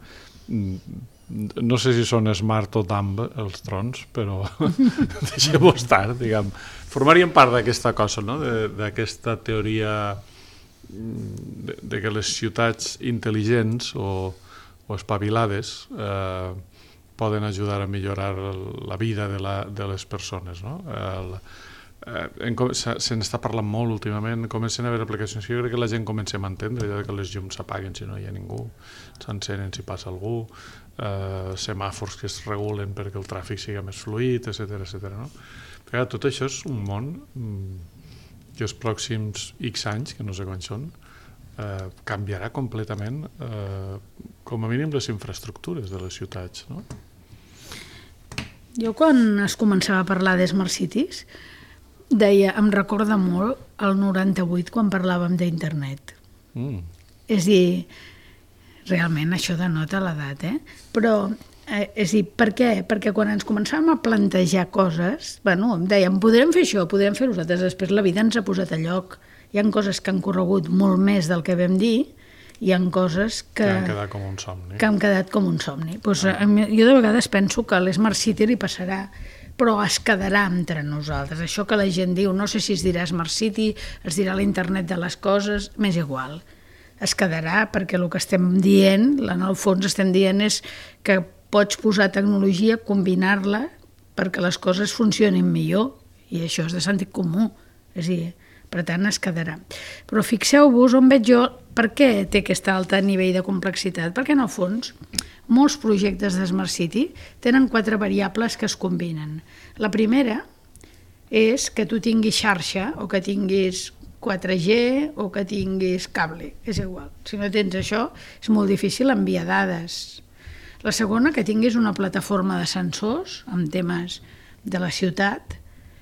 No sé si són smart o dumb els drons, però deixem-ho estar, diguem. Formarien part d'aquesta cosa, no? D'aquesta teoria de, de que les ciutats intel·ligents o, o espavilades eh, poden ajudar a millorar la vida de, la, de les persones, no? El, eh, se n'està parlant molt últimament, comencen a haver aplicacions que jo crec que la gent comença a entendre, ja que les llums s'apaguen si no hi ha ningú, s'encenen si passa algú, eh, semàfors que es regulen perquè el tràfic sigui més fluid, etcètera, etcètera, no? Però tot això és un món que els pròxims X anys, que no sé quan són, eh, canviarà completament eh, com a mínim les infraestructures de les ciutats, no? Jo quan es començava a parlar de Smart Cities deia, em recorda molt el noranta-vuit quan parlàvem d'internet. Mm. És a dir, realment això denota l'edat, eh? Però, eh, és a dir, per què? Perquè quan ens començàvem a plantejar coses, bueno, em dèiem, podrem fer això, podrem fer nosaltres, després la vida ens ha posat a lloc. Hi ha coses que han corregut molt més del que vam dir, hi ha coses que, que han quedat com un somni. Que han quedat com un somni. Pues, ah. Jo de vegades penso que l'Smart City li passarà, però es quedarà entre nosaltres. Això que la gent diu, no sé si es dirà Smart City, es dirà l'internet de les coses, m'és igual. Es quedarà perquè el que estem dient, en el fons estem dient és que pots posar tecnologia, combinar-la perquè les coses funcionin millor, i això és de sentit comú. És a dir, per tant es quedarà. Però fixeu-vos on veig jo per què té aquest alt nivell de complexitat, perquè en el fons molts projectes de Smart City tenen quatre variables que es combinen. La primera és que tu tinguis xarxa o que tinguis quatre G o que tinguis cable, és igual. Si no tens això és molt difícil enviar dades. La segona, que tinguis una plataforma de sensors amb temes de la ciutat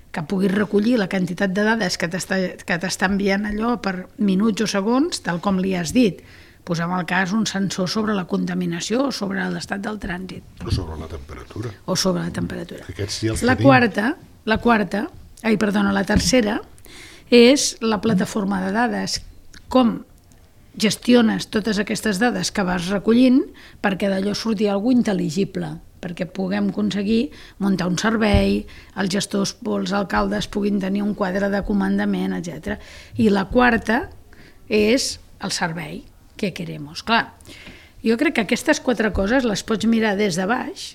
que puguis recollir la quantitat de dades que t'està enviant allò per minuts o segons, tal com li has dit. Posem al cas un sensor sobre la contaminació o sobre l'estat del trànsit. O sobre la temperatura. O sobre la temperatura. Sí la quarta, la quarta, ai, perdona, la tercera, és la plataforma de dades. Com gestiones totes aquestes dades que vas recollint perquè d'allò surti alguna cosa intel·ligible, perquè puguem aconseguir muntar un servei, els gestors o els alcaldes puguin tenir un quadre de comandament, etcètera. I la quarta és el servei que queremos. Clar, jo crec que aquestes quatre coses les pots mirar des de baix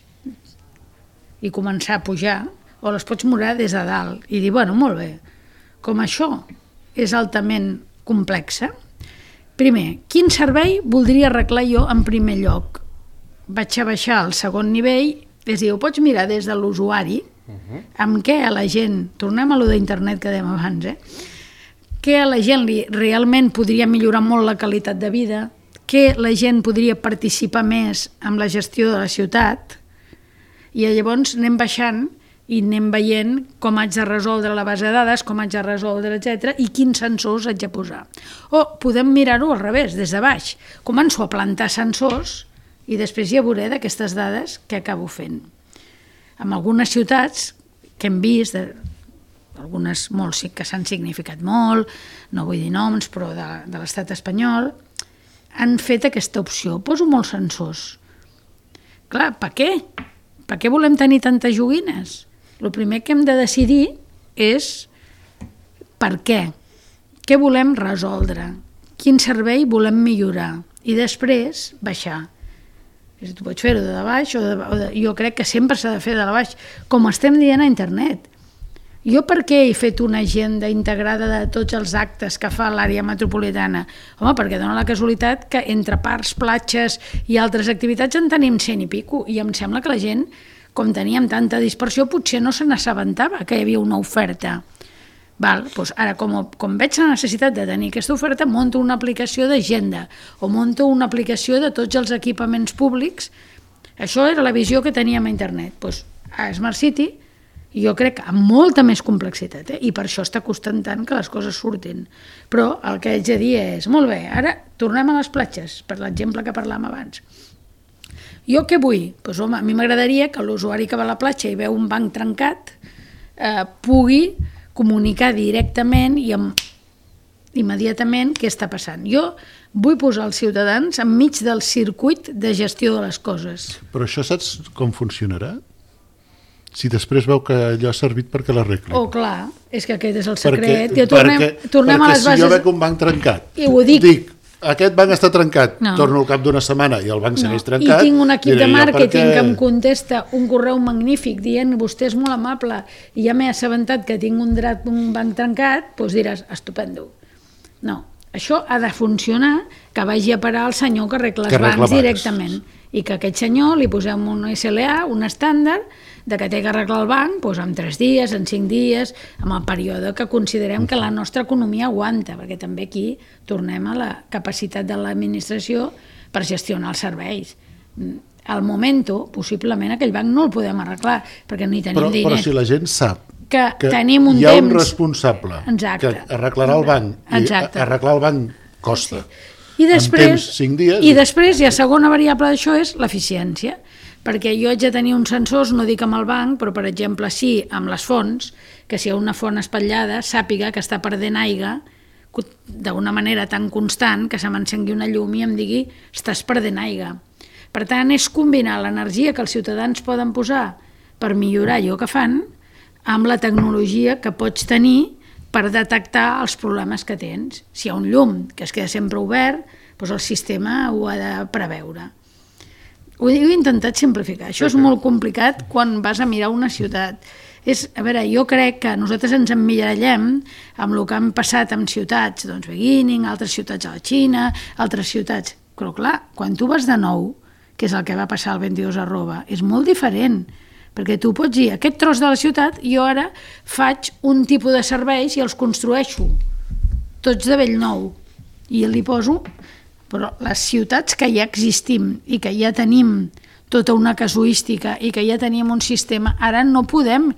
i començar a pujar, o les pots mirar des de dalt i dir, bueno, molt bé, com això és altament complexa, primer, quin servei voldria arreglar jo en primer lloc? Vaig a baixar al segon nivell, és a dir, ho pots mirar des de l'usuari, amb què a la gent, tornem a lo d'internet que dèiem abans, eh? què a la gent li realment podria millorar molt la qualitat de vida, què la gent podria participar més amb la gestió de la ciutat, i llavors anem baixant i anem veient com haig de resoldre la base de dades, com haig de resoldre, etcètera, i quins sensors haig de posar. O podem mirar-ho al revés, des de baix. Començo a plantar sensors i després ja veuré d'aquestes dades què acabo fent. En algunes ciutats que hem vist, de, algunes molts sí que s'han significat molt, no vull dir noms, però de, de l'estat espanyol, han fet aquesta opció. Poso molts sensors. Clar, per què? Per què volem tenir tantes joguines? El primer que hem de decidir és per què. Què volem resoldre? Quin servei volem millorar? I després baixar. Tu pots fer-ho de baix o de, o de... Jo crec que sempre s'ha de fer de baix, com estem dient a internet. Jo per què he fet una agenda integrada de tots els actes que fa l'àrea metropolitana? Home, perquè dona la casualitat que entre parcs, platges i altres activitats en tenim cent i pico, i em sembla que la gent, com teníem tanta dispersió, potser no se n'assabentava que hi havia una oferta. Val, doncs ara, com, com veig la necessitat de tenir aquesta oferta, monto una aplicació d'agenda o monto una aplicació de tots els equipaments públics. Això era la visió que teníem a internet. Doncs a Smart City, jo crec que amb molta més complexitat, eh? I per això està costant tant que les coses surtin. Però el que haig de dir és, molt bé, ara tornem a les platges, per l'exemple que parlàvem abans. Jo què vull? Doncs, home, a mi m'agradaria que l'usuari que va a la platja i veu un banc trencat eh, pugui comunicar directament i amb, immediatament què està passant. Jo vull posar els ciutadans enmig del circuit de gestió de les coses. Però això saps com funcionarà? Si després veu que allò ha servit perquè l'arregli. Oh, clar, és que aquest és el secret. Perquè, ja tornem, perquè, tornem perquè a les bases... si jo veig un banc trencat, i ho dic, dic, aquest banc està trencat, no. Torno al cap d'una setmana i el banc no. segueix trencat... I tinc un equip de màrqueting perquè... que em contesta un correu magnífic dient vostè és molt amable i ja m'he assabentat que tinc un, drat, un banc trencat, doncs diràs, estupendo. No, això ha de funcionar que vagi a parar el senyor que arregla els bancs directament i que aquest senyor li posem un S L A, un estàndard, de que té que arreglar el banc doncs en tres dies, en cinc dies, amb el període que considerem que la nostra economia aguanta, perquè també aquí tornem a la capacitat de l'administració per gestionar els serveis. Al moment, possiblement aquell banc no el podem arreglar, perquè no hi tenim però, diners. Però si la gent sap que, que tenim un hi ha temps... un responsable Exacte. que arreglarà el banc, Exacte. i arreglar el banc costa. Sí. I després, en temps, cinc dies... I després, i la segona variable d'això és l'eficiència, perquè jo haig de tenir uns sensors, no dic amb el banc, però per exemple sí amb les fonts, que si hi ha una font espatllada sàpiga que està perdent aigua d'una manera tan constant que se m'encengui una llum i em digui estàs perdent aigua. Per tant, és combinar l'energia que els ciutadans poden posar per millorar allò que fan amb la tecnologia que pots tenir per detectar els problemes que tens. Si hi ha un llum que es queda sempre obert, doncs el sistema ho ha de preveure. Ho he intentat simplificar. Això és molt complicat quan vas a mirar una ciutat. És, a veure, jo crec que nosaltres ens emmirallem amb el que han passat en ciutats, doncs Beginning, altres ciutats a la Xina, altres ciutats. Però clar, quan tu vas de nou, que és el que va passar el vint-i-dos arroba, és molt diferent, perquè tu pots dir, aquest tros de la ciutat, jo ara faig un tipus de serveis i els construeixo, tots de bell nou, i li poso... Però les ciutats que ja existim i que ja tenim tota una casuística i que ja tenim un sistema, ara no podem,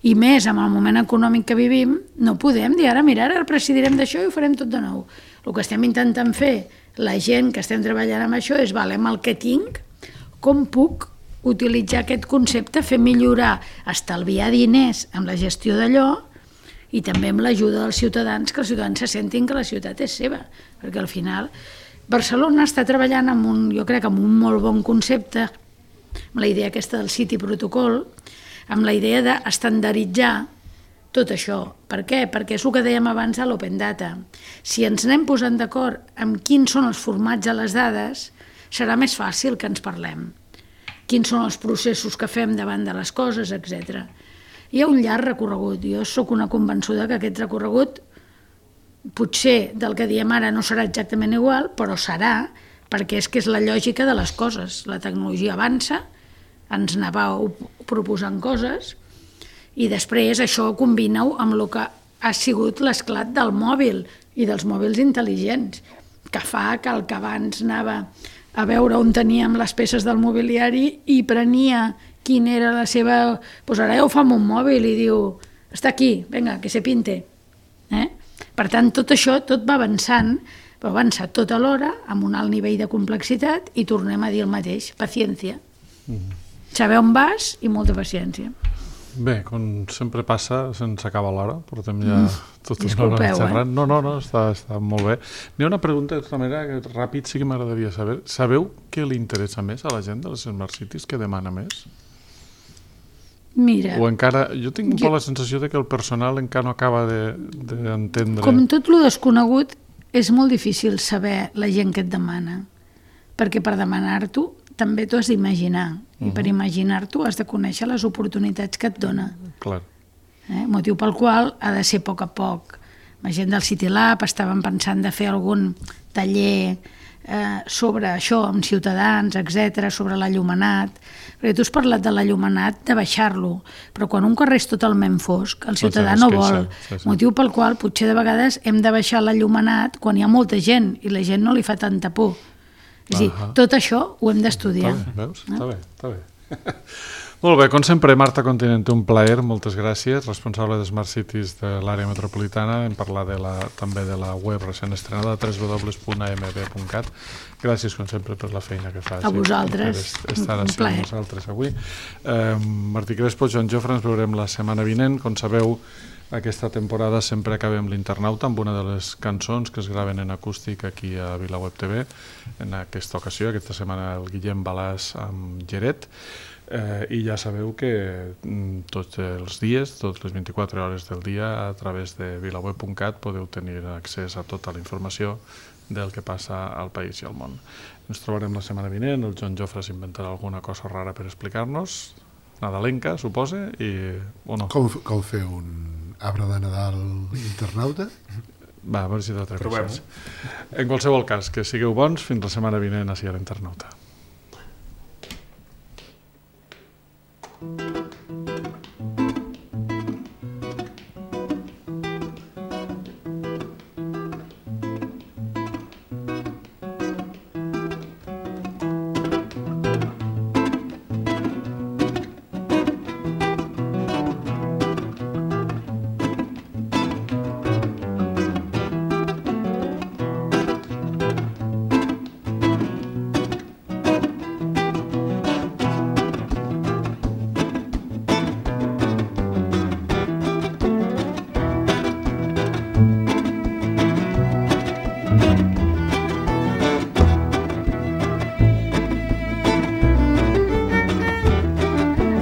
i més amb el moment econòmic que vivim, no podem dir ara, mira, ara presidirem d'això i ho farem tot de nou. El que estem intentant fer, la gent que estem treballant amb això, és, vale, amb el que tinc, com puc utilitzar aquest concepte, fer millorar, estalviar diners amb la gestió d'allò i també amb l'ajuda dels ciutadans, que els ciutadans se sentin que la ciutat és seva, perquè al final... Barcelona està treballant amb un, jo crec, amb un molt bon concepte, amb la idea aquesta del City Protocol, amb la idea d'estandarditzar tot això. Per què? Perquè és el que dèiem abans a l'Open Data. Si ens anem posant d'acord amb quins són els formats de les dades, serà més fàcil que ens parlem. Quins són els processos que fem davant de les coses, etcètera. Hi ha un llarg recorregut. Jo sóc una convençuda que aquest recorregut potser del que diem ara no serà exactament igual, però serà, perquè és que és la lògica de les coses. La tecnologia avança, ens anava proposant coses, i després això combina-ho amb el que ha sigut l'esclat del mòbil i dels mòbils intel·ligents, que fa que el que abans anava a veure on teníem les peces del mobiliari i prenia quina era la seva... Doncs ara ja ho fa amb un mòbil i diu, està aquí, vinga, que se pinte. Eh? Per tant, tot això, tot va avançant, però avança tot alhora, amb un alt nivell de complexitat, i tornem a dir el mateix, paciència. Mm-hmm. Saber on vas i molta paciència. Bé, com sempre passa, se'ns acaba l'hora, portem ja Mm. tota una Disculpeu, hora eh? xerrant. No, no, no, està, està molt bé. N'hi ha una pregunta, de tota manera, que ràpid sí que m'agradaria saber. Sabeu què li interessa més a la gent de les Smart Cities? Què demana més? Mira, O encara... Jo tinc un jo- poc la sensació de que el personal encara no acaba d'entendre... com tot lo desconegut, és molt difícil saber la gent que et demana, perquè per demanar-t'ho també t'ho has d'imaginar, i per Mhm. imaginar-t'ho has de conèixer les oportunitats que et dona. Clar. Eh? Motiu pel qual ha de ser a poc a poc. La gent del City Lab estaven pensant de fer algun taller eh, sobre això, amb ciutadans, etcètera, sobre l'allumenat, perquè tu has parlat de l'allumenat, de baixar-lo, però quan un carrer és totalment fosc, el ciutadà es no queixa, vol. sí, sí. Motiu pel qual potser de vegades hem de baixar l'allumenat quan hi ha molta gent i la gent no li fa tanta por. És a dir, Ahà. tot això ho hem d'estudiar. Està bé, veus? Està bé, està bé. Molt bé, com sempre, Marta Continente, un plaer, moltes gràcies, responsable de Smart Cities de l'àrea metropolitana. Hem parlat de la, també de la web recent estrenada, w w w punt a m b punt cat. Gràcies, com sempre, per la feina que fas. A vosaltres, Per estar un així plaer. amb nosaltres avui. Eh, Martí Crespo, Joan Jofre, ens veurem la setmana vinent. Com sabeu, aquesta temporada sempre acabem l'Internauta amb una de les cançons que es graven en acústic aquí a VilaWeb T V. En aquesta ocasió, aquesta setmana, el Guillem Balàs amb Geret. Eh, I ja sabeu que mm, tots els dies, totes les vint-i-quatre hores del dia, a través de vilaweb punt cat podeu tenir accés a tota la informació del que passa al país i al món. Ens trobarem la setmana vinent, el Joan Jofre s'inventarà alguna cosa rara per explicar-nos, nadalenca, supose, i... o no? Com, com fer un arbre de Nadal internauta? Va, a veure si t'atreveixes. Provem-ho. En qualsevol cas, que sigueu bons, fins la setmana vinent així a l'Internauta.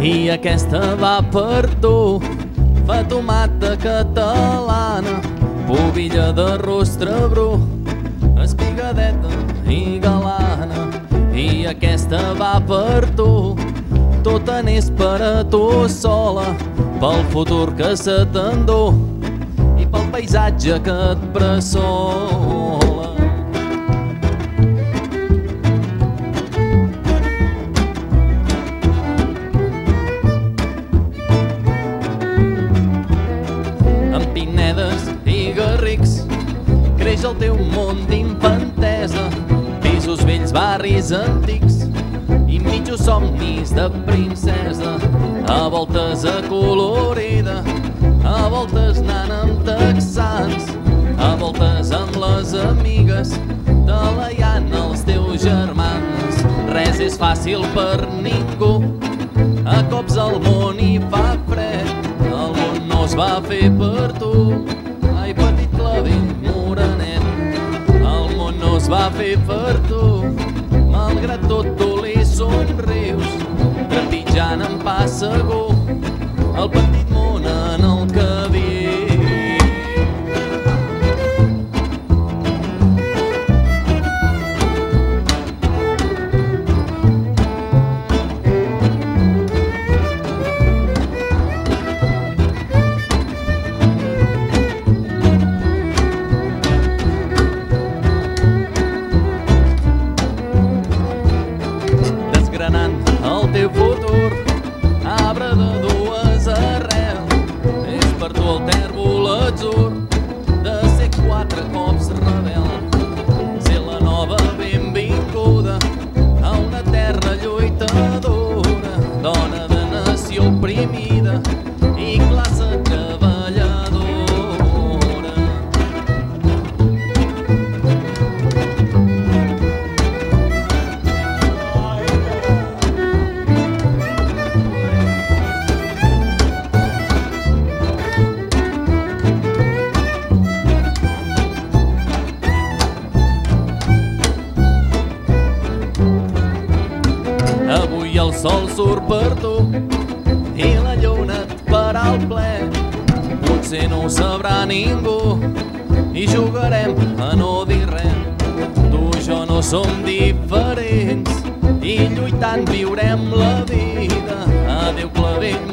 I aquesta va per tu, fa tomata catalana, pubilla de rostre bru, espigadeta i galana. I aquesta va per tu, tota n'és per a tu sola, pel futur que se t'endú i pel paisatge que et bressola. Amb pinedes i garrics creix el teu món d'infantesa, pisos vells, barris antics i mitjos somnis de princesa. A voltes acolorida, a voltes anant amb texans, a voltes amb les amigues, talaiant els teus germans. Res és fàcil per ningú, a cops el món hi fa fred, el món no es va fer per tu. Ai, petit clavell morenet, el món no es va fer per tu. Malgrat tot tu li somrius, trepitjant en pas segur el petit món en el que vius. mida i classe treballadora. Avui el sol surt per tu i la lluna et farà el ple. Potser no ho sabrà ningú i jugarem a no dir res. Tu i jo no som diferents i lluitant viurem la vida. Adéu clavell,